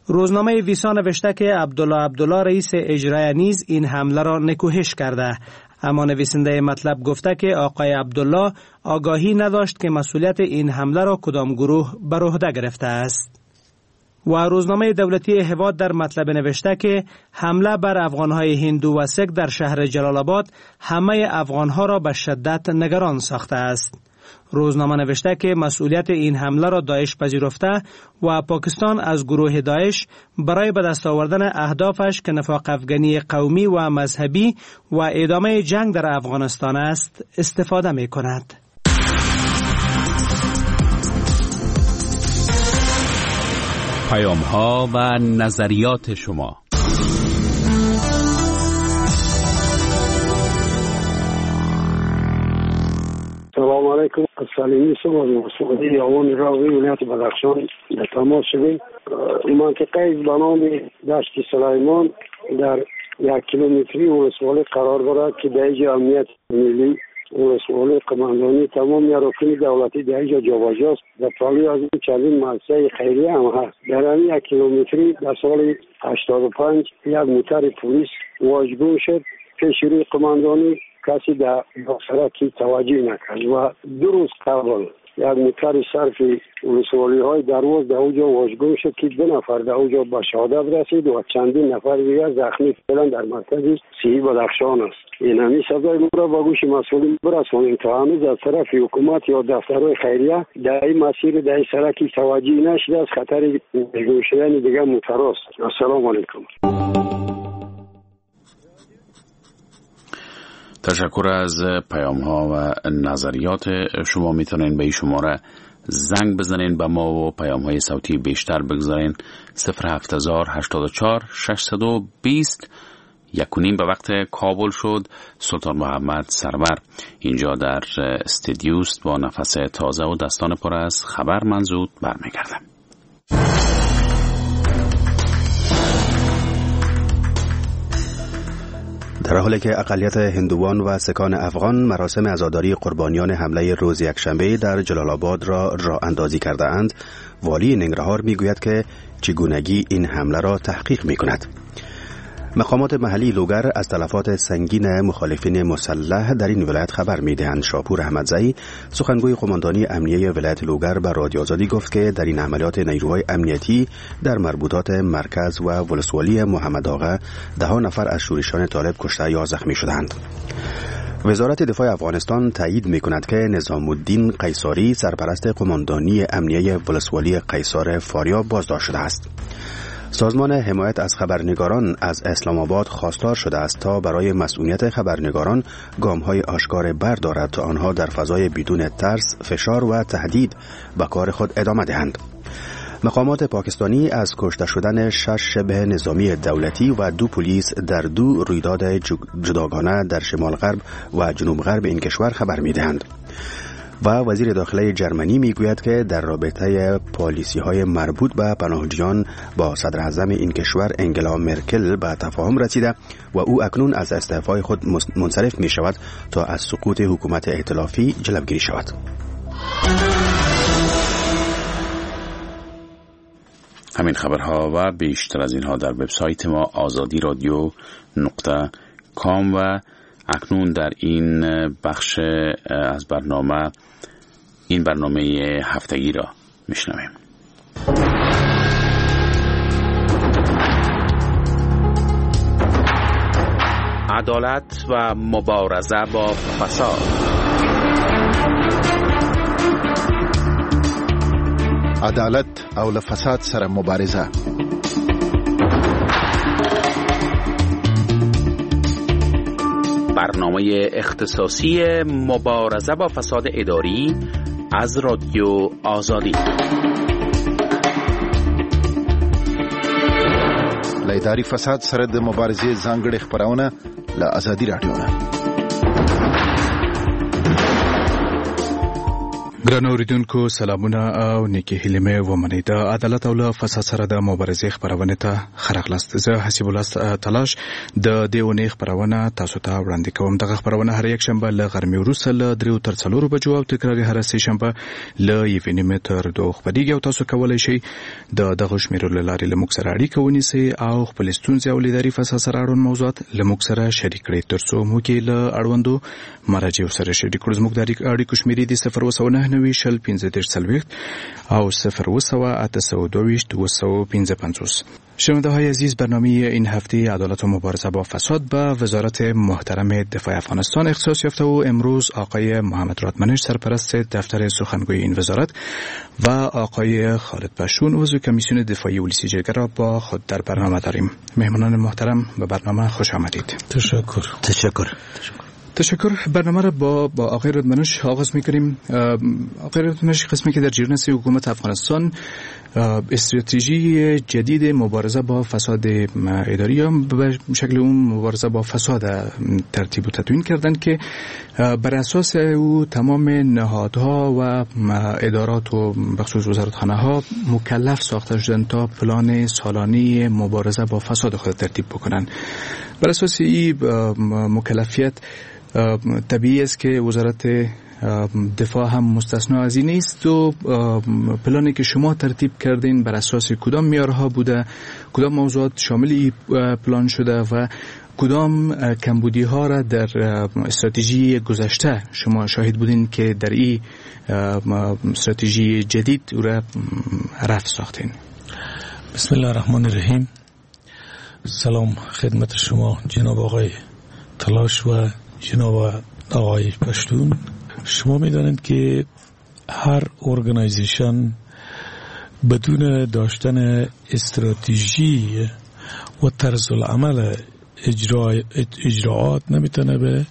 روزنامه ویسا نوشته که عبدالله عبدالله، رئیس اجرایی، نیز این حمله را نکوهش کرده، اما نویسنده مطلب گفته که آقای عبدالله آگاهی نداشت که مسئولیت این حمله را کدام گروه بر عهده گرفته است. و روزنامه دولتی هواد در مطلب نوشته که حمله بر افغانهای هندو و سک در شهر جلال آباد همه افغانها را به شدت نگران ساخته است. روزنامه نوشته که مسئولیت این حمله را داعش پذیرفته و پاکستان از گروه داعش برای به دست آوردن اهدافش که نفاق افغانی قومی و مذهبی و ادامه جنگ در افغانستان است استفاده می کند. پیام ها و نظریات شما. سلام علیکم. از سلیمی صبح از یاوان راوی ولایت بدخشان در تماس شدیم. منطقه به نام دشت سلیمان در 1 کیلومتری ولسوالی قرار دارد که در اینجا امنیت ملی ولسوالی قماندانی تمام اراکین دولتی در اینجا جابجاست. در پالوی از این چندین مؤسسه خیریه هم هست. در همین 1 کیلومتری در سال 85 یک موتر پلیس واژگون شد. پیش روی قماندانی کسی در سرکی توجه نکرد و 2 روز قبل یک موتر صرف ولسوالی های درواز در اوجا واژگون شد که 2 نفر در اوجا به شهادت رسید و چندین نفر دیگر زخمی فعلا در مرکز صحی بدخشان است. این همین صدای ما را به گوش مسئولین برسانیم تا هنوز از طرف حکومت یا دفترهای خیریه در این مسیر در این سرکی توجه نشده از خطر واژگون شدن دیگر موتر است. السلام علیکم. تشکر از پیام ها و نظریات شما. میتونین به این شماره زنگ بزنین به ما و پیام های صوتی بیشتر بگذارین. 07084 620 1:30 به وقت کابل شد. سلطان محمد سرور اینجا در استدیوست با نفس تازه و دستان پر از خبر. من زود برمیگردم. در حالی که اقلیت هندوان و سکان افغان مراسم عزاداری قربانیان حمله روز یکشنبه در جلال آباد را راه اندازی کرده اند، والی ننگرهار میگوید که چگونگی این حمله را تحقیق می کند. مقامات محلی لوگر از تلفات سنگین مخالفین مسلح در این ولایت خبر می‌دهند. شاپور احمدزئی، سخنگوی قماندانی امنیه ولایت لوگر، به رادیو آزادی گفت که در این عملیات نیروهای امنیتی در مربوطات مرکز و ولسوالی محمد آقا 10 نفر از شورشیان طالب کشته یا زخمی شدند. وزارت دفاع افغانستان تایید می‌کند که نظام الدین قیصاری، سرپرست قماندانی امنیه ولسوالی قیصار فاریاب، بازداشت شده است. سازمان حمایت از خبرنگاران از اسلام آباد خواستار شده است تا برای مسئولیت خبرنگاران گام‌های آشکار بردارد تا آنها در فضای بدون ترس، فشار و تهدید به کار خود ادامه دهند. مقامات پاکستانی از کشته شدن 6 شبه نظامی دولتی و 2 پلیس در 2 رویداد جداگانه در شمال غرب و جنوب غرب این کشور خبر می‌دهند. و وزیر داخله جرمنی میگوید که در رابطه پالیسی های مربوط به پناهجویان با صدر اعظم این کشور انگلا مرکل به تفاهم رسیده و او اکنون از استعفای خود منصرف می شود تا از سقوط حکومت ائتلافی جلوگیری شود. همین خبرها و بیشتر از اینها در وبسایت ما آزادی رادیو .com. و اکنون در این بخش از برنامه، این برنامه هفتگی را میشنویم. عدالت و مبارزه با فساد. عدالت او له فساد سره مبارزه. برنامه اختصاصی مبارزه با فساد اداری از رادیو آزادی. له اداري فساد سره د مبارزې ځانګړې خپرونه له ازادي راډیو نه. ګرانو اوریدونکو سلامونه او نیکې هیلې مې ومنئ. د عدالت او له فساد سره د مبارزې خپرونې ته ښه راغلاست. زه حسیب الله تلاش د دې اونۍ خپرونه تاسو ته وړاندې کوم. دغه خپرونه هر یکشنبه له غرمې وروسته له 3 تر 4 بجو او تکراري هره سه شنبه له 1:30 تر 2 خپرېږي او تاسو کولی شئ د دغو شمېرو له لارې له موږ سره اړیکه ونیسئ او خپلې ستونزې او له اداري فساد سره اړوند موضوعات له موږ سره شریک کړئ ترڅو موږ یې له اړوندو مراجعو سره شریک کړو. زموږ د اړیکو شمېرې دي 099 90 15 او 0 822 255. شنونده های عزیز، برنامه این هفته عدالت و مبارزه با فساد به وزارت محترم دفاع افغانستان اختصاص یافته و امروز آقای محمد رادمنش، سرپرست دفتر سخنگوی این وزارت، و آقای خالد پشون، عضو کمیسیون دفاعی ولسی جرگه را با خود در برنامه داریم. مهمانان محترم، به برنامه خوش آمدید. تشکر. تشکر. برنامه را با آقای رادمنش آغاز میکنیم. آقای رادمنش، قسمی که در جریان است حکومت افغانستان استراتژی جدید مبارزه با فساد اداری یا به شکل اون مبارزه با فساد ترتیب و تدوین کردند که بر اساس او تمام نهادها و ادارات و بخصوص وزارتخانه ها مکلف ساخته شدند تا پلان سالانه مبارزه با فساد خود ترتیب بکنند. بر اساس این مکلفیت طبیعی است که وزارت دفاع هم مستثنا از این نیست و پلانی که شما ترتیب کردین بر اساس کدام معیارها بوده، کدام موضوعات شامل این پلان شده و کدام کمبودی ها را در استراتژی گذشته شما شاهد بودین که در این استراتژی جدید او را رفع ساختین؟ بسم الله الرحمن الرحیم. سلام خدمت شما جناب آقای تلاش و جناب آقای پشتون. شما میدانید که هر organization بدون داشتن استراتژی و طرز العمل اجراعات نمیتونه به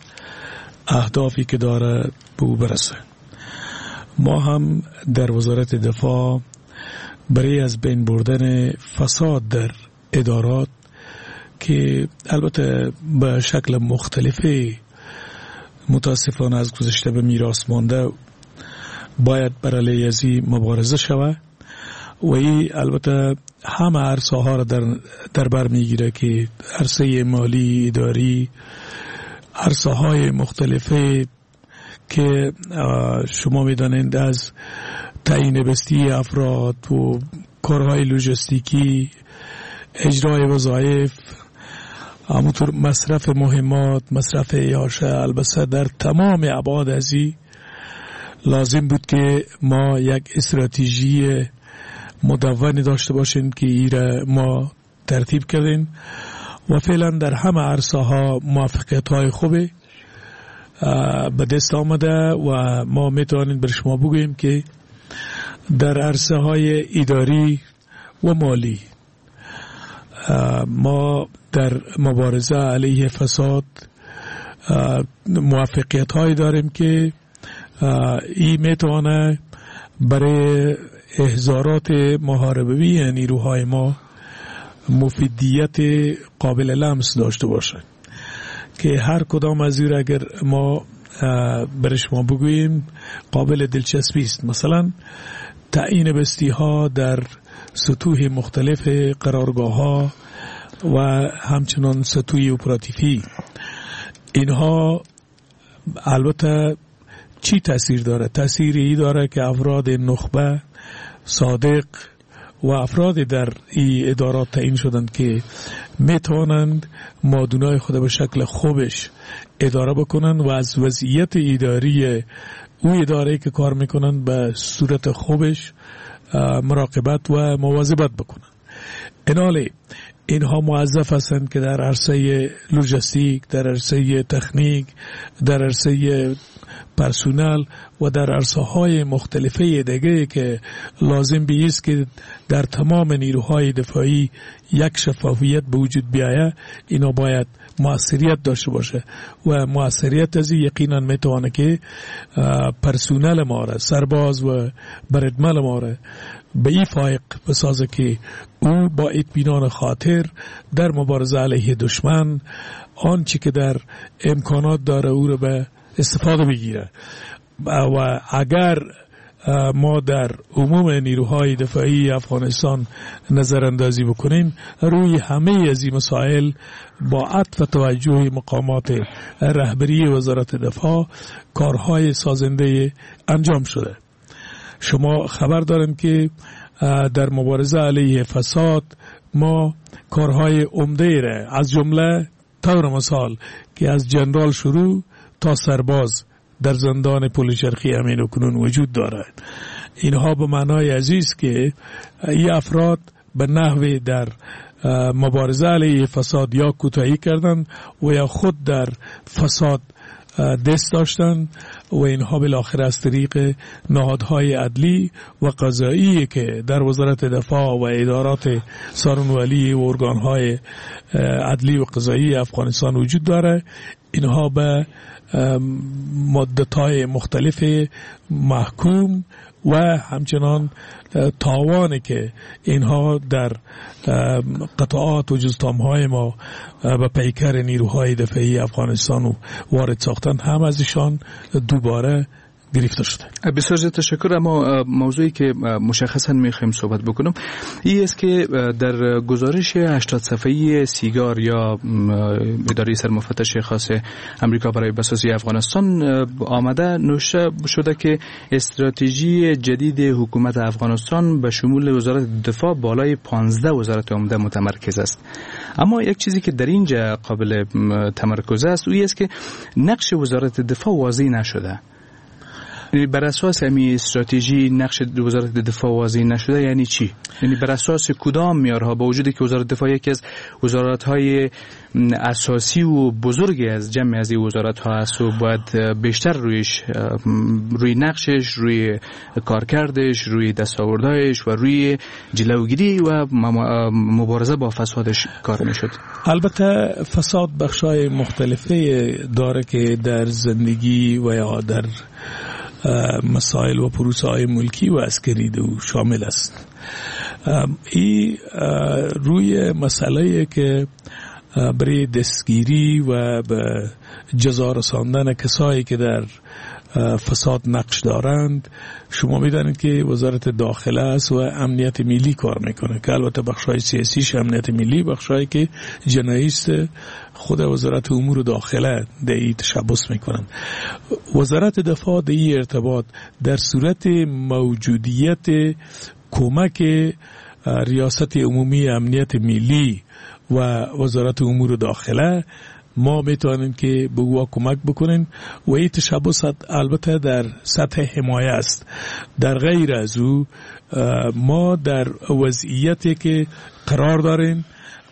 اهدافی که داره به او برسه. ما هم در وزارت دفاع برای از بین بردن فساد در ادارات که البته به شکل مختلفی متاسفانه از گذشته به میراث مانده، باید بر علیه ازی مبارزه شود و این البته همه عرصه ها را در بر میگیره که عرصه مالی، اداری، عرصه های مختلفه که شما میدانید از تعیین بستی افراد و کارهای لوجستیکی، اجرای وظایف، همونطور مصرف مهمات، مصرف اعاشه، البته در تمام ابعاد ازی لازم بود که ما یک استراتژی مدونی داشته باشیم که ایره ما ترتیب کردیم و فعلا در همه عرصه ها موفقیت های خوبی به دست آمده و ما میتوانیم بر شما بگوییم که در عرصه های اداری و مالی ما در مبارزه علیه فساد موفقیت هایی داریم که این میتونه برای احضارات محاربوی نیروهای ما مفیدیت قابل لمس داشته باشه که هر کدام از این اگر ما برای شما بگوییم قابل دلچسپی است. مثلا تعیین بستی ها در سطوح مختلف قرارگاه ها و همچنان سطوح اپراتیفی، اینها البته چی تاثیر داره؟ تاثیر ای داره که افراد نخبه، صادق و افراد در این ادارات تعیین شدند که میتوانند مادونای خود به شکل خوبش اداره بکنند و از وضعیت اداری او اداره که کار میکنند به صورت خوبش مراقبت و مواظبت بکنند. اینالی اینها موظف هستند که در عرصه لوجستیک، در عرصه تکنیک، در عرصه پرسونل و در عرصه های مختلفه دیگه که لازم بیست که در تمام نیروهای دفاعی یک شفافیت به وجود بیاید، اینا باید مؤثریت داشته باشه و مؤثریت از یقینا میتونه که پرسونل ما را، سرباز و بردمل ما را به این فایق بسازه که او با اطمینان خاطر در مبارزه علیه دشمن آنچه که در امکانات داره او را به استفاده بگیره. و اگر ما در عموم نیروهای دفاعی افغانستان نظر اندازی بکنیم، روی همه از این مسائل با عطف توجه مقامات رهبری وزارت دفاع کارهای سازنده انجام شده. شما خبر دارن که در مبارزه علیه فساد ما کارهای عمده را از جمله طور مثال که از جنرال شروع تا سرباز در زندان پل چرخی امین و کنون وجود دارد، اینها به معنای عزیز که این افراد به نحوی در مبارزه علیه فساد یا کوتاهی کردند و یا خود در فساد دست داشتند و اینها بالاخره از طریق نهادهای عدلی و قضایی که در وزارت دفاع و ادارات سارنوالی و ارگانهای عدلی و قضایی افغانستان وجود داره، اینها به مدت‌های مختلف محکوم و همچنان تاوانی که اینها در قطعات و جزتام‌های ما به پیکر نیروهای دفاعی افغانستان وارد ساختن هم از ایشان دوباره گرفته شده. بسیار زیاد تشکر. اما موضوعی که مشخصا میخوایم صحبت بکنم این است که در گزارش 80 صفحه‌ای سیگار یا اداره سرمفتش خاص امریکا برای بسازی افغانستان آمده نوشته شده که استراتژی جدید حکومت افغانستان به شمول وزارت دفاع بالای 15 وزارت عمده متمرکز است. اما یک چیزی که در اینجا قابل تمرکز است او است که نقش وزارت دفاع واضح نشده. بر اساس همین استراتژی نقش وزارت دفاع واضح نشده یعنی چی؟ یعنی بر اساس کدام معیارها، با وجودی که وزارت دفاع یکی از وزارت‌های اساسی و بزرگی از جمع از این وزارت‌ها است و باید بیشتر روی نقشش، روی کارکردش، روی دستاوردهایش و روی جلوگیری و مبارزه با فسادش کار میشد. البته فساد بخش‌های مختلفه داره که در زندگی و یا در مسائل و پروسه های ملکی و عسکری دو شامل است. این روی مسئله که برای دستگیری و به جزا رساندن کسایی که در فساد نقش دارند، شما میدانید که وزارت داخله است و امنیت ملی کار میکنه که البته بخشای سیاسیش امنیت ملی، بخشایی که جنایی است خود وزارت امور داخله در این تشبث میکنند. وزارت دفاع در این ارتباط در صورت موجودیت کمک ریاست عمومی امنیت ملی و وزارت امور داخله ما میتوانیم که به او کمک بکنیم و این تشبث البته در سطح حمایه است. در غیر از او ما در وضعیتی که قرار داریم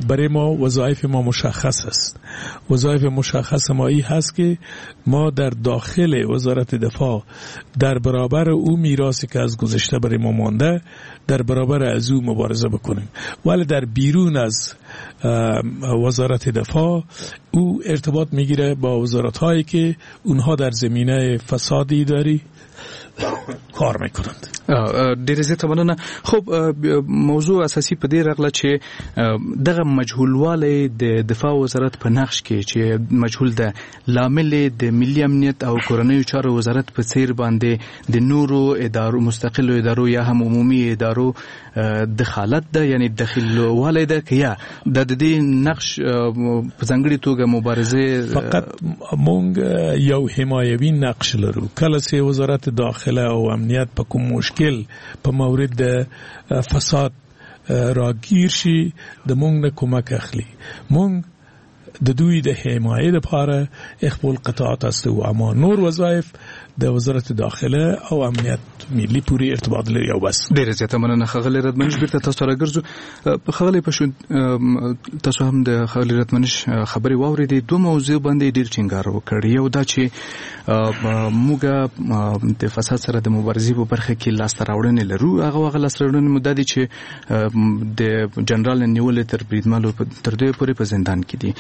برای ما وظایف ما مشخص است. وظایف مشخص ما این هست که ما در داخل وزارت دفاع در برابر او میراثی که از گذشته برای ما مانده در برابر از او مبارزه بکنیم، ولی در بیرون از وزارت دفاع او ارتباط میگیره با وزارت هایی که اونها در زمینه فسادی داری کار میکنند. ډیر زیاته مننه. خب موضوع اساسي په دې راغله چې دغه مجهولوالی د دفاع وزارت په نقش کې چې مجهول ده، لامل د ملي امنیت او کورنیو چارو وزارت په څیر باندې د نورو ادارو، مستقلو ادارو یا هم عمومي ادارو دخالت ده، یعنی دخیلوالی ده که یا د دې نقش په ځانګړي توګه مبارزه. فقط مونږ یو حمایوي نقش لرو. کله چې وزارت داخله او امنیت په کوم مشکل په مورد فساد راگیر شي د مونږ نه کمک اخلي. مونږ د دوی د حمایه لپاره خپل قطعات است و اما نور وظایف د وزارت داخله او امنیت ملي پورې ارتباط لري او بس. ډیره زیاته مننه ښاغلی ردمنش. بیرته تاسو راګرځو. ښاغلی پشون، تاسو هم د ښاغلي ردمنش خبرې واورېدې. دوه موضوع باندې ډیر ټینګار وکړ. یو دا چې موږ د فساد سره د مبارزې په برخه کې لاسته راوړنې لرو. هغه لاسته راوړنې مو دا دي چې د جنرال نیولې تر بریدملو تر دوی پورې په زندان کې دي.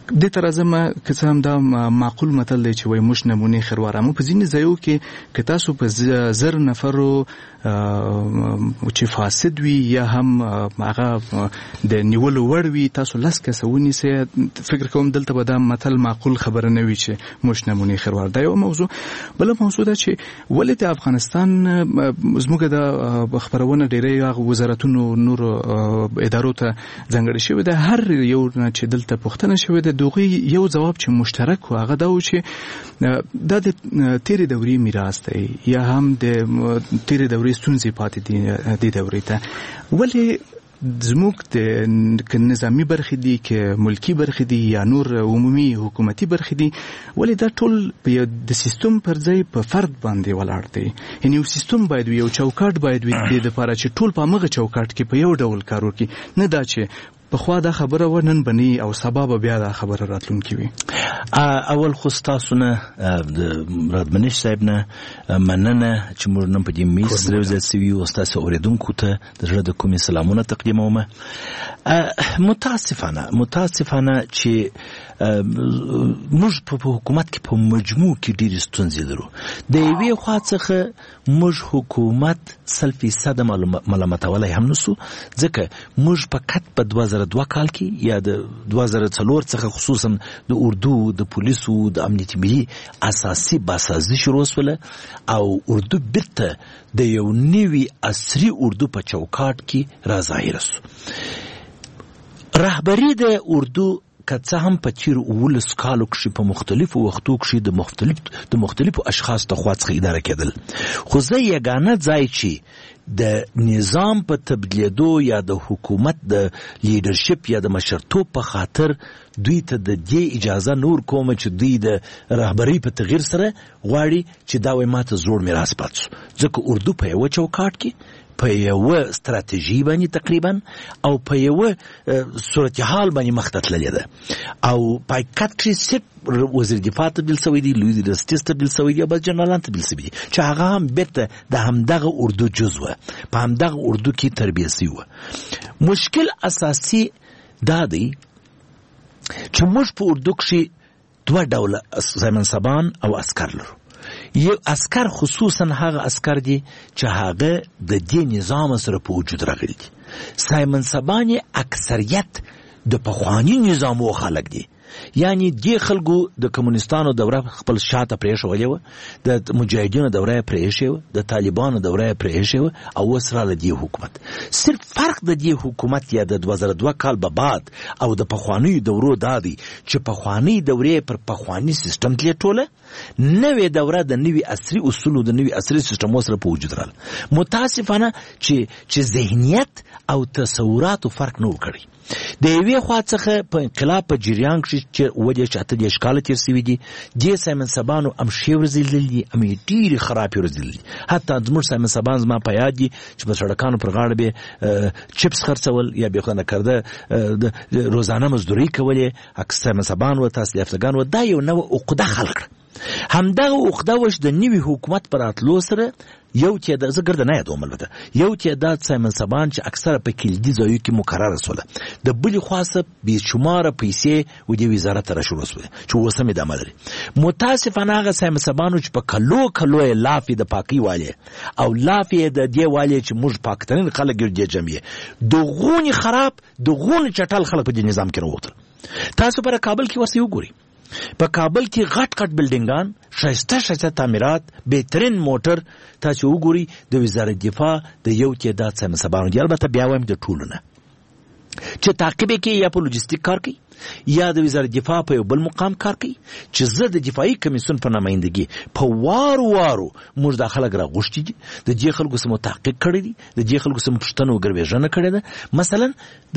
دې ته راځم، که څه هم دا معقول متل دی چې وایي موږ نمونې خروار، اما په ځینې ځایو کې که تاسو په 1000 نفرو چې فاسد وي یا هم هغه د نیولو وړ وي تاسو 10 کسه ونیسئ، فکر کوم دلته به دا متل معقول خبره نه وي چې موږ نمونې خروار. دا یو موضوع. بله موضوع دا چې ولې د افغانستان زموږ د خپرونه ډېری هغه وزارتونو نورو ادارو ته ځانګړې شوې ده، هر یو نه چې دلته پوښتنه شوې ده دوغي یو ځواب چې مشترک و هغه دا و چې دا د تیرې دورې میراث دی یا هم د تیرې دورې ستونزې پاتې دي دې دورې ته. ولې زموږ د نظامي برخې دي که ملکی برخې دي یا نور عمومي حکومتي برخې دي، ولې دا ټول د سیستم پر ځای په فرد باندې ولاړ دی؟ یعنی یو سیستم باید وي، یو چوکاټ باید وي دې لپاره چې ټول په همغه چوکاټ کې په یو ډول کار وکړي، نه دا چې پخوا دا خبره و نن بني او سبا به بیا دا خبره راتلونکې وي. اول خو ستاسو نه د ردمنش صاحب نه مننه چې موږ نن په دې میز سره یو ځای شوي یو، ستاسو اورېدونکو ته د زړه د کومې سلامونه تقدیموم. متاسفانه چې موږ په حکومت کې په مجموع کې ډېرې ستونزې لرو. د یوې خوا څخه موږ حکومت 100% ملامتولی هم نسو، ځکه موږ فقط په 2002 کال کې یا د 2004 څخه خصوصا د اردو د پولیسو د امنیت ملي اساسي باسازي شروع شوله او اردو بیرته د یو نوي عصري اردو په چوکاټ کې را ظاهره شو. رهبري د اردو که څه هم په تیرو 17 کالو کښې په مختلفو وختو کښې د مختلفو اشخاصو د خوا څخه اداره کېدل، خو زه یګانه ځای چې د نظام په تبدیلېدو یا د حکومت د لیډرشپ یا د مشرتوب په خاطر دوی ته د دې اجازه نور کوم چې دوی د رهبرۍ په تغییر سره غواړي چې دا وایي ماته زوړ میراث پاتې شو، ځکه اردو په یوه چوکاټ کې په یوه ستراتیژي باندې تقریبا او په یوه صورتحال باندې مخته تللې ده او په حقیقت کښې صرف وزیر دفاع تبدیل شوی دی، لوی درستیز تبدیل شوی دی او بس جنرالان تبدیل شوي دي چې هغه هم بیرته د همدغه اردو جز وه، په همدغه اردو کې تربیه شوي وه. مشکل اساسي دا دی چې موږ په اردو کښې دوه ډوله منصبان او عسکر لرو. یو عسکر خصوصا هغه عسکر دي چې هغه د دې نظام سره په وجود راغلي دي. سایمنصبان یې اکثریت د پخواني نظامو خلک دي، یعنی دې خلکو د کمونستانو دوره خپل شاته پرېښولې وه، د مجاهدینو دوره یې پرېښې وه، د طالبانو دوره یې پرېښې وه او اوس راله دې حکومت. صرف فرق د دې حکومت یا د 2002 کال به بعد او د پخوانیو دورو دا دی چې پخوانۍ دورې پر پخواني سیستم تلې ټوله، نوې دوره د نوي عصري اصولو د نوي عصري سیستمو سره په وجود راغله. متاسفانه چې ذهنیت او تصوراتو فرق نه و کړی. د یوې خوا څخه په انقلاب په جریان کښې چې 37 38 کاله تېر شوي دي، دې سایمنصبانو هم ښې ورځې لیدلې دي، هم یې ډېرې خرابې ورځې لیدلې دي. حتی زموږ سایمنصبان زما په یاد دي چې په سړکانو پر غاړه به چپس خرڅول یا به خدای نکرده روزانه مزدوري کولې. سایمنصبان وه، تاسو یافتګان وه، دا یو نوې عقده خلق کړه. همدغه عقده وه چې د نوي حکومت په راتلو سره یو تعداد، زه ګرده نه یادوم البته، یو تعداد سایمنصبان چې اکثره په کلیدي ځایو کې مقرره سوله، د بلې خوا څخه بې شماره پیسې و دې وزارت ته راشروع سوې چې اوس هم ادامه لري. متاسفانه هغه سایمنصبانو چې په کلو کلو یې لافې د پاکۍ والې او لافې یې د دې والې چې موږ پاکترین خلک یو دې جمعیې، د غونې خراب د غونې چټل خلک په دې نظام کې راووتل. تاسو پر کابل کې ورسئ وګورئ، په کابل کې غټ غټ بلډینګان، ښایسته ښایسته تعمیرات، بهترین موټر تاسو وګورئ د وزارت دفاع د یو تعداد سایمنصبانو دي، البته بیا وایم د ټولو نه، چې تعقیب یې کوي یا په لوجستیک کار کوي یا د وزارت دفاع په یو بل مقام کار کوي. چې زه د دفاعي کمیسیون په نمایندګي په وارو وارو موږ دا خلک راغوښتي دي، د دې خلکو سره مو تحقیق کړی دی، د دې خلکو سره مو پوښتنه او ګروېږنه کړې ده. مثلا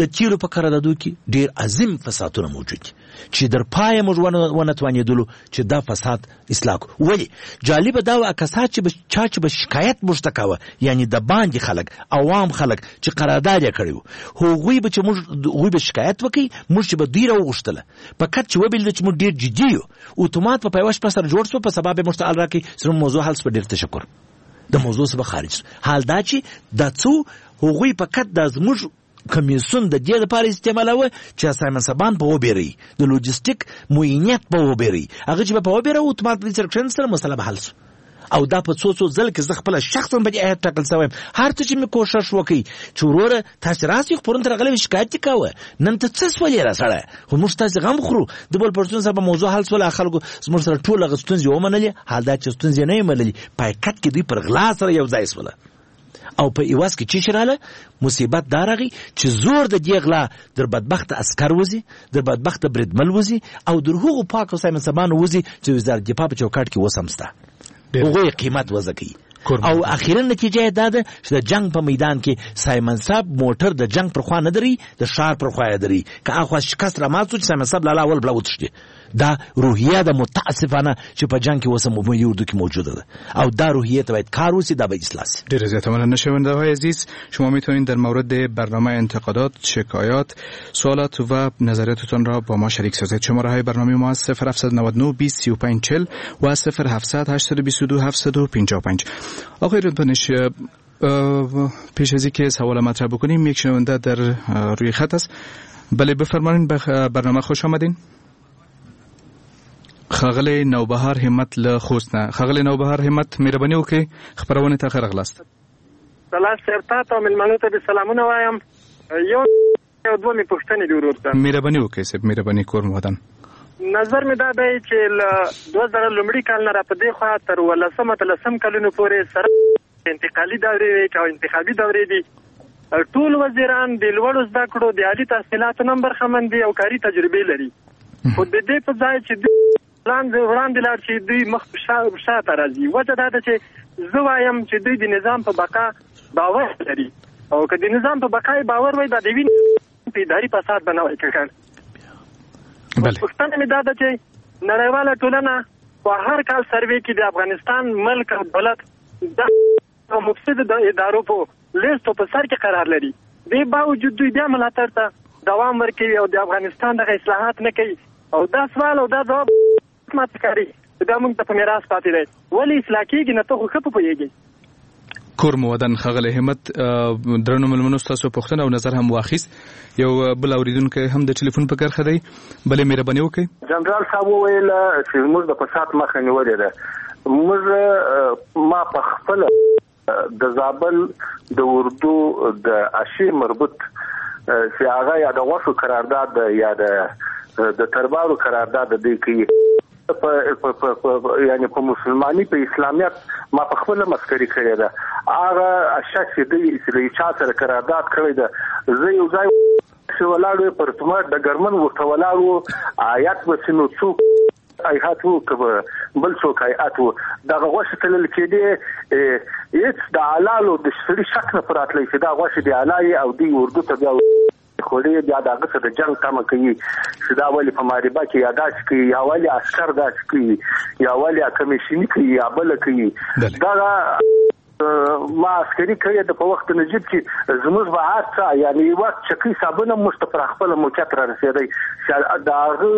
د تیلو په قراردادو کې ډېر عظیم فسادونه موجود دي چې در پایه موږ ونه توانېدلو چې دا فساد اصلاح کړو. ولې جالبه دا وه کسان چې به چا چې به شکایت موږ ته کاوه، یعنی د باندې خلک، عوام خلک چې قرارداد یې کړی و، هغوی به چې موږ هغوی به شکایت وکړي، موږ چې به دوی راوغوښتله په کت چې وبلل چې موږ ډېر جدي یو، اتومات په یوه شپه سره جوړ شو، په سبا به موږ ته حال راکړي چې زموږ موضوع حل شوه، ډېر تشکر، د موضوع څخه به خارج شو. حال دا چې دا څو هغوی په کت دا زموږ کمیسیون د دې لپاره استعمالوه چې سایمنصبان په وبېروي، د لوجستیک معینیت په وبېروي، هغه چې به په وبېروي اتومات په دې سره کښېنستله، مسله به حل شوه. او دا په څو څو ځل کې زه خپله شخصاً په دې هیئت ټاکل شوی یم، هر څه چې مې کوښښ وکړ چې وروره تاسې راسئ، خو پرون ته راغلی وې شکایت دې کاوه، نن ته څه سولې را سړی، خو موږ تاسې غم خورو. د بل پښتون سره به موضوع حل سوله، خلکو زموږ سره ټول هغه ستونزې ومنلې، حال دا چې ستونزې نه یې منلې، په حقیقت کې دوی پر غلا سره یو ځای سوله. او په عوض کې چې رااله مصیبت دا راغی چې زور د دې غلا در بدبخت عسکر وځي، در بدبخت بریدمل وځي او در هغو پاکو سایمنصبانو وځي چې وزارت دفاع په چوکاټ کې اوس هم شته، هغوی قیمت وضع کوي. او اخیرا نتیجه یې دا ده چې د جنگ په میدان کې سایمن صاحب موټر د جنگ پر خوا نه دري، د ښار پر خوا یې دري. که اخوا شکست را مات شو چې سایمن صاحب لالا اول بلا وتښتي. دا روحیه ده متاسفانه چې په جنگ کې اوس هم ملي اردو کې موجوده ده او دا روحیه ته باید کار وشي، دا باید اصلاح شي. ډېره زیاته مننه شنونده های عزیز، شما میتونید در مورد برنامه انتقادات، شکایات، سوالات و نظریاتتان را با ما شریک سازید. شماره های برنامه ما 0799 20 35 40 و 0700 822 755. آقای رادمنش، پیش از اینکه سوال مطرح بکنیم یک شنونده در روی خط است. بله بفرمایید، برنامه خوش آمدین. ښاغلی نوبهار همت له خوست نه. ښاغلی نوبهار همت، مهرباني وکړئ خپرونې ته ښه راغلاست. سلام صاحب، تا ته او مېلمنو ته دې سلامونه وایم. یو یو دوه مې پوښتنې دي ورور ته. مهرباني وکړئ صاحب، مهرباني، کور مو ودان. نظر مې دا دی چې له 2000 لومړي کال نه را په دې خوا تر 18 18 کلونو پورې سره انتقالي دورې وې او انتخابي دورې دي، ټول وزیران د لوړو زده کړو د عالي تحصیلاتو نه برخمن دي او کاري تجربې لري، خو د دې په ځای چې دوی وړاندې لاړ شي دوی مخ شاته راځي. وجه دا ده چې زه وایم چې دوی د نظام په بقا باور لري، او که د نظام په بقا یې باور وای دا د وینې په اداري فساد به نه وای ککړ. پوښتنه مې دا ده چې نړیواله ټولنه په هر کال سروې کې د افغانستان ملک او دولت د مفسد ادارو په لیست په سر کې قرار لري، دې باوجود دوی بیا ملاتړ ته دوام ورکوي او د افغانستان دغه اصلاحات نه کوي. او دا سوال او دا ځواب ماته ښکاري دا موږ ته په میراث پاتې دی، ولې اصلاح کېږي نه؟ ته خو ښه په پوهېږې. کور مو ودان ښاغلی همت. درنو مېلمنو ستاسو پوښتنه او نظر هم واخیست. یو بل اورېدونکی هم د ټلیفون په کرښه دی، بلې مهرباني وکړئ. جنرال صاحب وویل چې موږ د فساد مخه نیولې ده. موږ ما په خپله د زابل د اردو د اشې مربوط چې هغه یا د غوښو قرارداد یا د تربارو قرارداد دی کوي په یعنی په مسلمانۍ په اسلامیت ما په خپله مسکري کړې ده. هغه اشیا چې دوی له چا سره قرارداد کړی ده، زه یو ځای چې ولاړ وم پر تمه ډګرمن ورته ولاړ و، آیات به چې نو څوک هیئت وو که به بل څوک هیئت وو، دغه غوښې تلل کېدې، هېڅ د حلالو د سړي شک نه پر راتلی چې دا غوښې د حلالې او دوی اردو ته بیا خوړې، بیا د هغه څه د جنګ تمه کوي چې دا ولې په معربه کې یا داسې کوي، یا ولې عسکر داسې کوي، یا ولې کمیشني کوي، یا بله کوي. دغه ما عسکري کړې ده په وخت نجیب کې زموږ به هر څه یعنی یوه چکۍ صابون هم موږ ته پر خپله موقعیت را رسېدی چې د هغه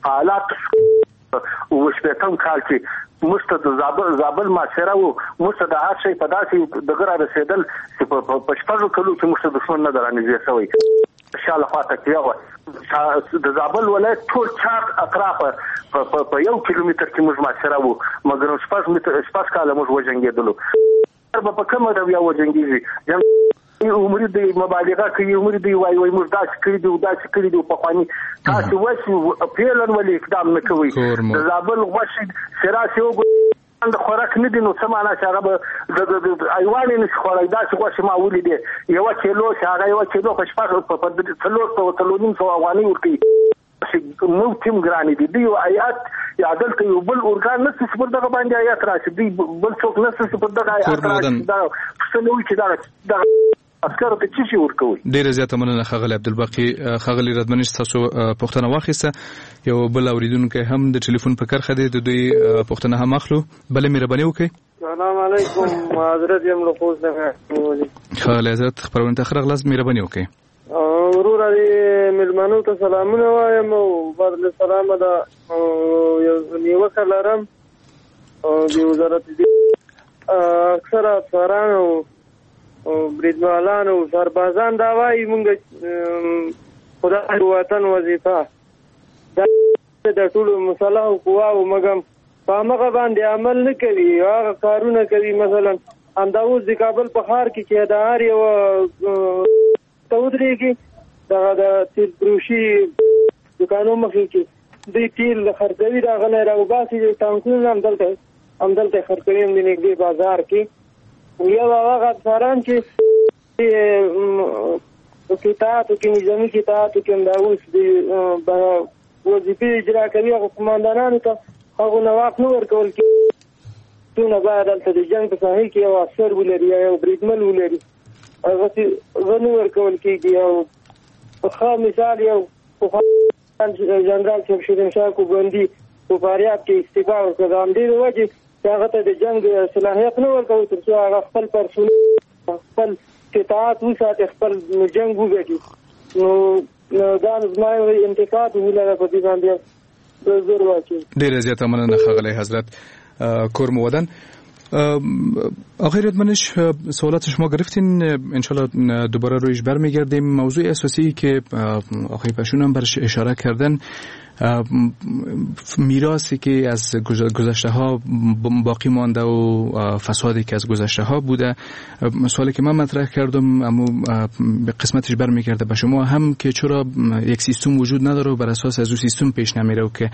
په حالات 67 کال کې موږ ته د زابل معاصره وو، موږ ته د هر شی په داسې دغه را رسېدل چې په 6 کلو کې موږ ته دښمن نه دی رانږدې شوی. شا لخوا تکیه وه. د زابل ولایت ټول چار اطراف په 1 کیلومتر کې موږ معاصره وو، مګر 6 کاله موږ وجنګېدلو. به په کومه رویه وجنګېږي؟ عمري دی مبالغه کوي، عمري دی وایي وایي موږ داسې کړي دي داسې کړي دي پخواني. تاسو وایئ فعلاً ولې اقدام نه کوئ؟ د زابل غوښې چې راسي وګورئ د خوراک نه دي، نو څه معنا چې هغه به د ایوان یې نشي خوړی. داسې غوښې ما ولیدې، 1 کیلو چې هغه 1 کیلو په 400 450 افغانۍ ورکوي. نو تیم ګرانې دي. دوی یو هیئت یا دلته یو بل ارګان نشته چې پر دغه باندې هیئت راشي، دوی بل څوک نشته چې پر دغه هیئت راشي. دا پوښتنه وکړي چې دغه عسکرو ته څه شي ورکوي. ډېره زیاته مننه ښاغلی عبدالباقي. ښاغلی ردمنش تاسو پوښتنه واخیسته. یو بل اورېدونکی هم د ټلیفون په کرښه دی، د دوی پوښتنه هم اخلو. بله مهرباني وکړئ. سلام علیکم، حضرت یم له خوست څخه. ښاغلی حضرت خپرونې ته ښه راغلاست، مهرباني وکړئ. وروره دې مېلمنو ته سلامونه وایم او بعد له سلامه دا یو نیوکه لرم د وزارت اکثره افسران او بریدمالان او سربازان دا وایي مونږ خدای وطن وظیفه دا د ټولو مسلحو قواو مګم په همغه باندې عمل نه کوي، هغه کارونه کوي. مثلا همدا اوس د کابل په ښار کې چې د هر یو ته ودرېږي دغه د تیل فروشي دوکانو مخې کې دوی تیل خرڅوي، د هغه نه راوباسي، د ټانکونه همدلته خرڅوي، هم د نږدې بازار کې. یو هغه افسران چې قطعاتو کې نظامي قطعاتو کې همدا اوس د وظیفې اجرا کوي، هغو قوماندانانو ته هغو نه واک نه ورکول کېږي. څونه باید هلته د جنګ په ساحې کې یو افسر ولري یا یو بریدمل ولري، هغه نه ورکول کېږي. او ښه مثال یو جنرال صاحب شیرین شاه کوبندي په فاریاب کې استعفا وکړه، د همدې وجې چې هغه ته د جنګ صلاحیت نه ورکوي تر څو هغه خپل پرسونل خپل قطعات وساتي، خپل جنګ وګټي. نو دا زما یو انتقاد ولره په دې باندې زور واچوي. ډېره زیاته مننه ښاغلی حضرت، کور مو ودان. آقای ردمنش، سوالات شما گرفتین، انشالله دوباره رویش برمیگردیم. موضوع اساسی که آقای پشون هم برش اشاره کردن میراثی که از گذشته ها باقی مانده و فسادی که از گذشته ها بوده. سوالی که من مطرح کردم اما قسمتش برمیگرده به شما هم که چرا یک سیستم وجود نداره و بر اساس از اون سیستم پیش نمیره و که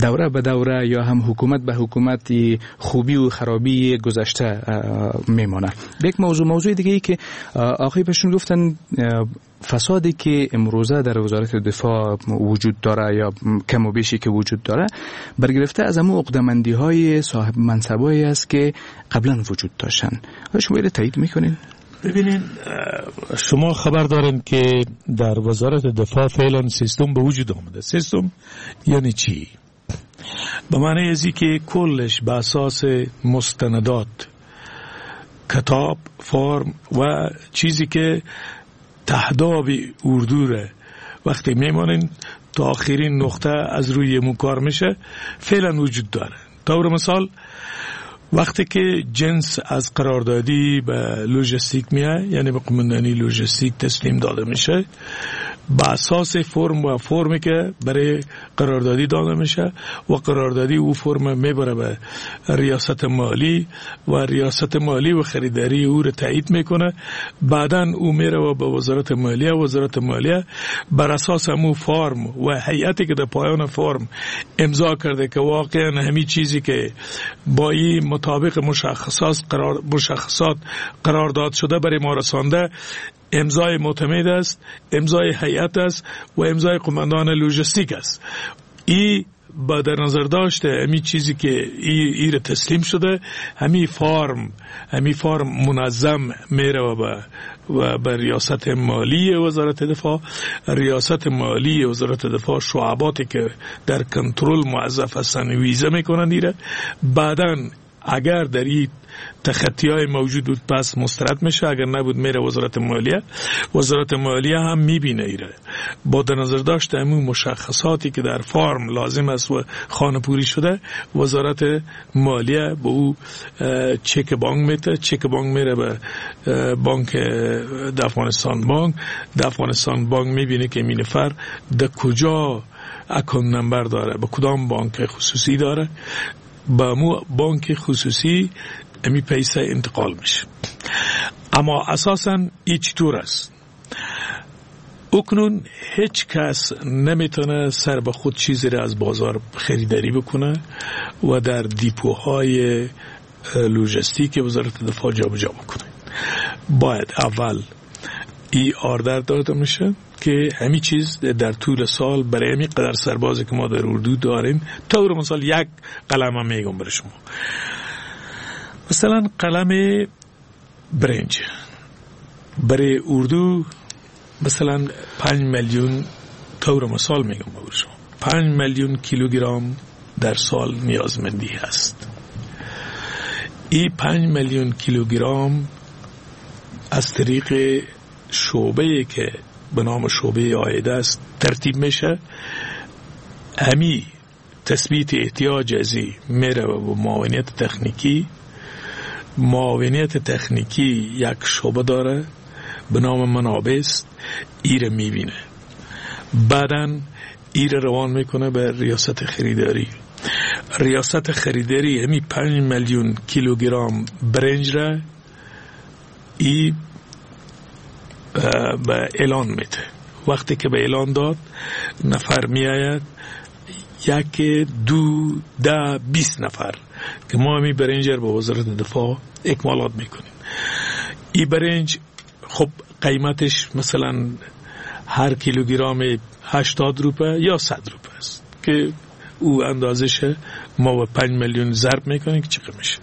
دوره به دوره یا هم حکومت به حکومت خوبی و خرابی گذشته میمانه. یک موضوع دیگه ای که آقای پشتون گفتن، فسادی که امروزه در وزارت دفاع وجود داره یا کم و بیشی که وجود داره برگرفته از امو عقده‌مندی های صاحب منصبایی است که قبلا وجود داشتن. شما اینو تایید میکنین؟ ببینین، شما خبر دارین که در وزارت دفاع فعلا سیستم به وجود آمده. سیستم یعنی چی؟ به معنی ازی که کلش به اساس مستندات، کتاب، فرم و چیزی که تهداب اردو ره وقتی میمانین تا آخرین نقطه از روی مو کار میشه فعلا وجود داره. طور مثال وقتی که جنس از قراردادی به لوجستیک میاد، یعنی به قمندانی لوجستیک تسلیم داده میشه، با اساس فرم و فرمی که برای قراردادی داده میشه و قراردادی او فرم میبره به ریاست مالی و ریاست مالی و خریداری او رو تایید میکنه. بعدا او میره و به وزارت مالیه، وزارت مالیه بر اساس همو فرم و هیئتی که در پایان فرم امضا کرده که واقعا همی چیزی که با این مطابق مشخصات قرار داد شده برای ما رسانده، امضای معتمد است، امضای هیئت است و امضای قماندان لوجستیک است. ای با در نظر داشته همی چیزی که ای را تسلیم شده، همی فرم منظم میره و به ریاست مالی وزارت دفاع. ریاست مالی وزارت دفاع شعباتی که در کنترل موظف هستن ویزه میکنن ایره. بعداً اگر در این تخطی های موجود بود پس مسترد میشه، اگر نبود میره وزارت مالیه. وزارت مالیه هم میبینه ایره با در نظر داشت همون مشخصاتی که در فرم لازم است و خانه پوری شده، وزارت مالیه به او چک بانک میده. چک بانک میره به بانک در افغانستان بانک. در افغانستان بانک میبینه که این نفر در کجا account number داره، به کدام بانک خصوصی داره، با مو بانک خصوصی امی پیسه انتقال میشه. اما اساساً ای چطور است؟ اکنون هیچ کس نمیتونه سر به خود چیزی را از بازار خریداری بکنه و در دیپوهای لوجستیک وزارت دفاع جابجا بکنه. باید اول ای order داده میشه که همین چیز در طول سال برای همین قدر سربازی که ما در اردو داریم، طور مثال یک قلم هم میگم برای شما، مثلا قلم برنج برای اردو مثلا 5 میلیون، طور مثال میگم برای شما، 5 میلیون کیلوگرم در سال نیازمندی هست. این 5 میلیون کیلوگرم از طریق شعبه که به نام شعبه آیده است ترتیب میشه. همی تثبیت احتیاج ازی میره به معاونیت تکنیکی. معاونیت تکنیکی یک شعبه داره به نام منابع است، ایره میبینه، بعدن ایره روان میکنه به ریاست خریداری. ریاست خریداری همی 5 میلیون کیلوگرم برنج را ای به اعلان میده. وقتی که به اعلان داد، نفر میآید، 1، 2، 10، 20 نفر که ما همی برنج را به وزارت دفاع اکمالات میکنیم. ای برنج خب قیمتش مثلا هر کیلوگرم 80 روپه یا 100 روپه است که او اندازش ما به 5 میلیون ضرب میکنیم که چقدر میشه.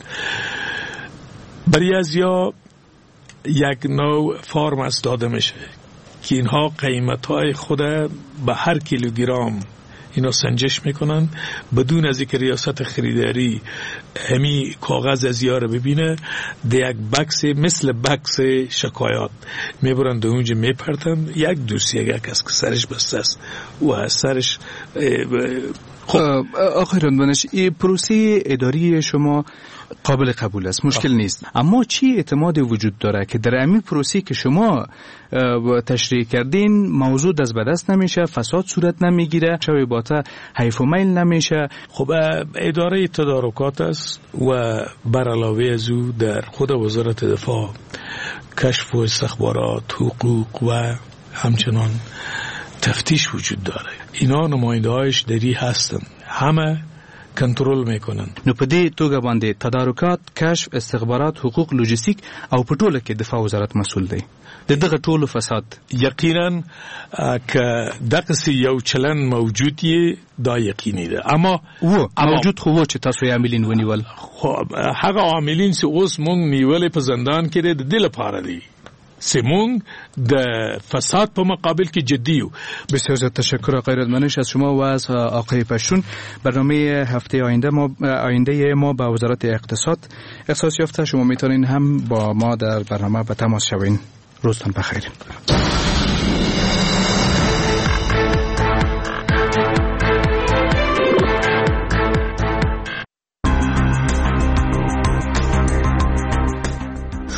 برای از یا یک نوع فرم از داده میشه که اینها قیمت های خود به هر کیلوگرم اینا سنجش میکنن، بدون از اینکه ریاست خریداری همی کاغذ از یاره ببینه، ده یک بکس مثل بکس شکایات میبرن ده اونجا میپرتن. یک دوسیه یک کس که سرش بسته است و سرش. خب آقای رندمنش، این پروسه اداری شما قابل قبول است، مشکل نیست، اما چی اعتماد وجود داره که در همین پروسه که شما تشریح کردین موضوع دست به دست نمیشه، فساد صورت نمیگیره، شوی باته حیف و میل نمیشه. خب اداره تدارکات است و بر علاوه از او در خود وزارت دفاع کشف و استخبارات، حقوق و همچنان تفتیش وجود داره. اینا نماینده هایش دری هستن، همه کنترل میکنن. نو په دې توګه باندې تدارکات، کشف، استخبارات، حقوق، لوجستیک او په ټوله کې دفاع وزارت مسول دی د دغه ټولو فساد. یقینا که دغسې یو چلن موجود یې دا یقیني ده، اما موجود خو و چې تاسو یې عاملین ونیول. خو هغه عاملین چې اوس مونږ نیولې په زندان کې دی د دې لپاره دي چې مونږ د فساد په مقابل کې جدی یو. بسیار زیاد تشکر آقای رادمنش از شما و از آقای پشتون. برنامه هفته آینده ما به وزارت اقتصاد اختصاص یافته. شما میتونین هم با ما در برنامه به تماس شوین. روزتان بخیر.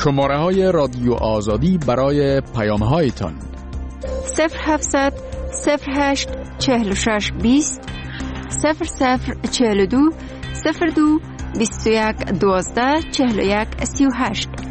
شماره های رادیو آزادی برای پیام هایتان 0700 08 46 20 00 42 02 21 12 41 38.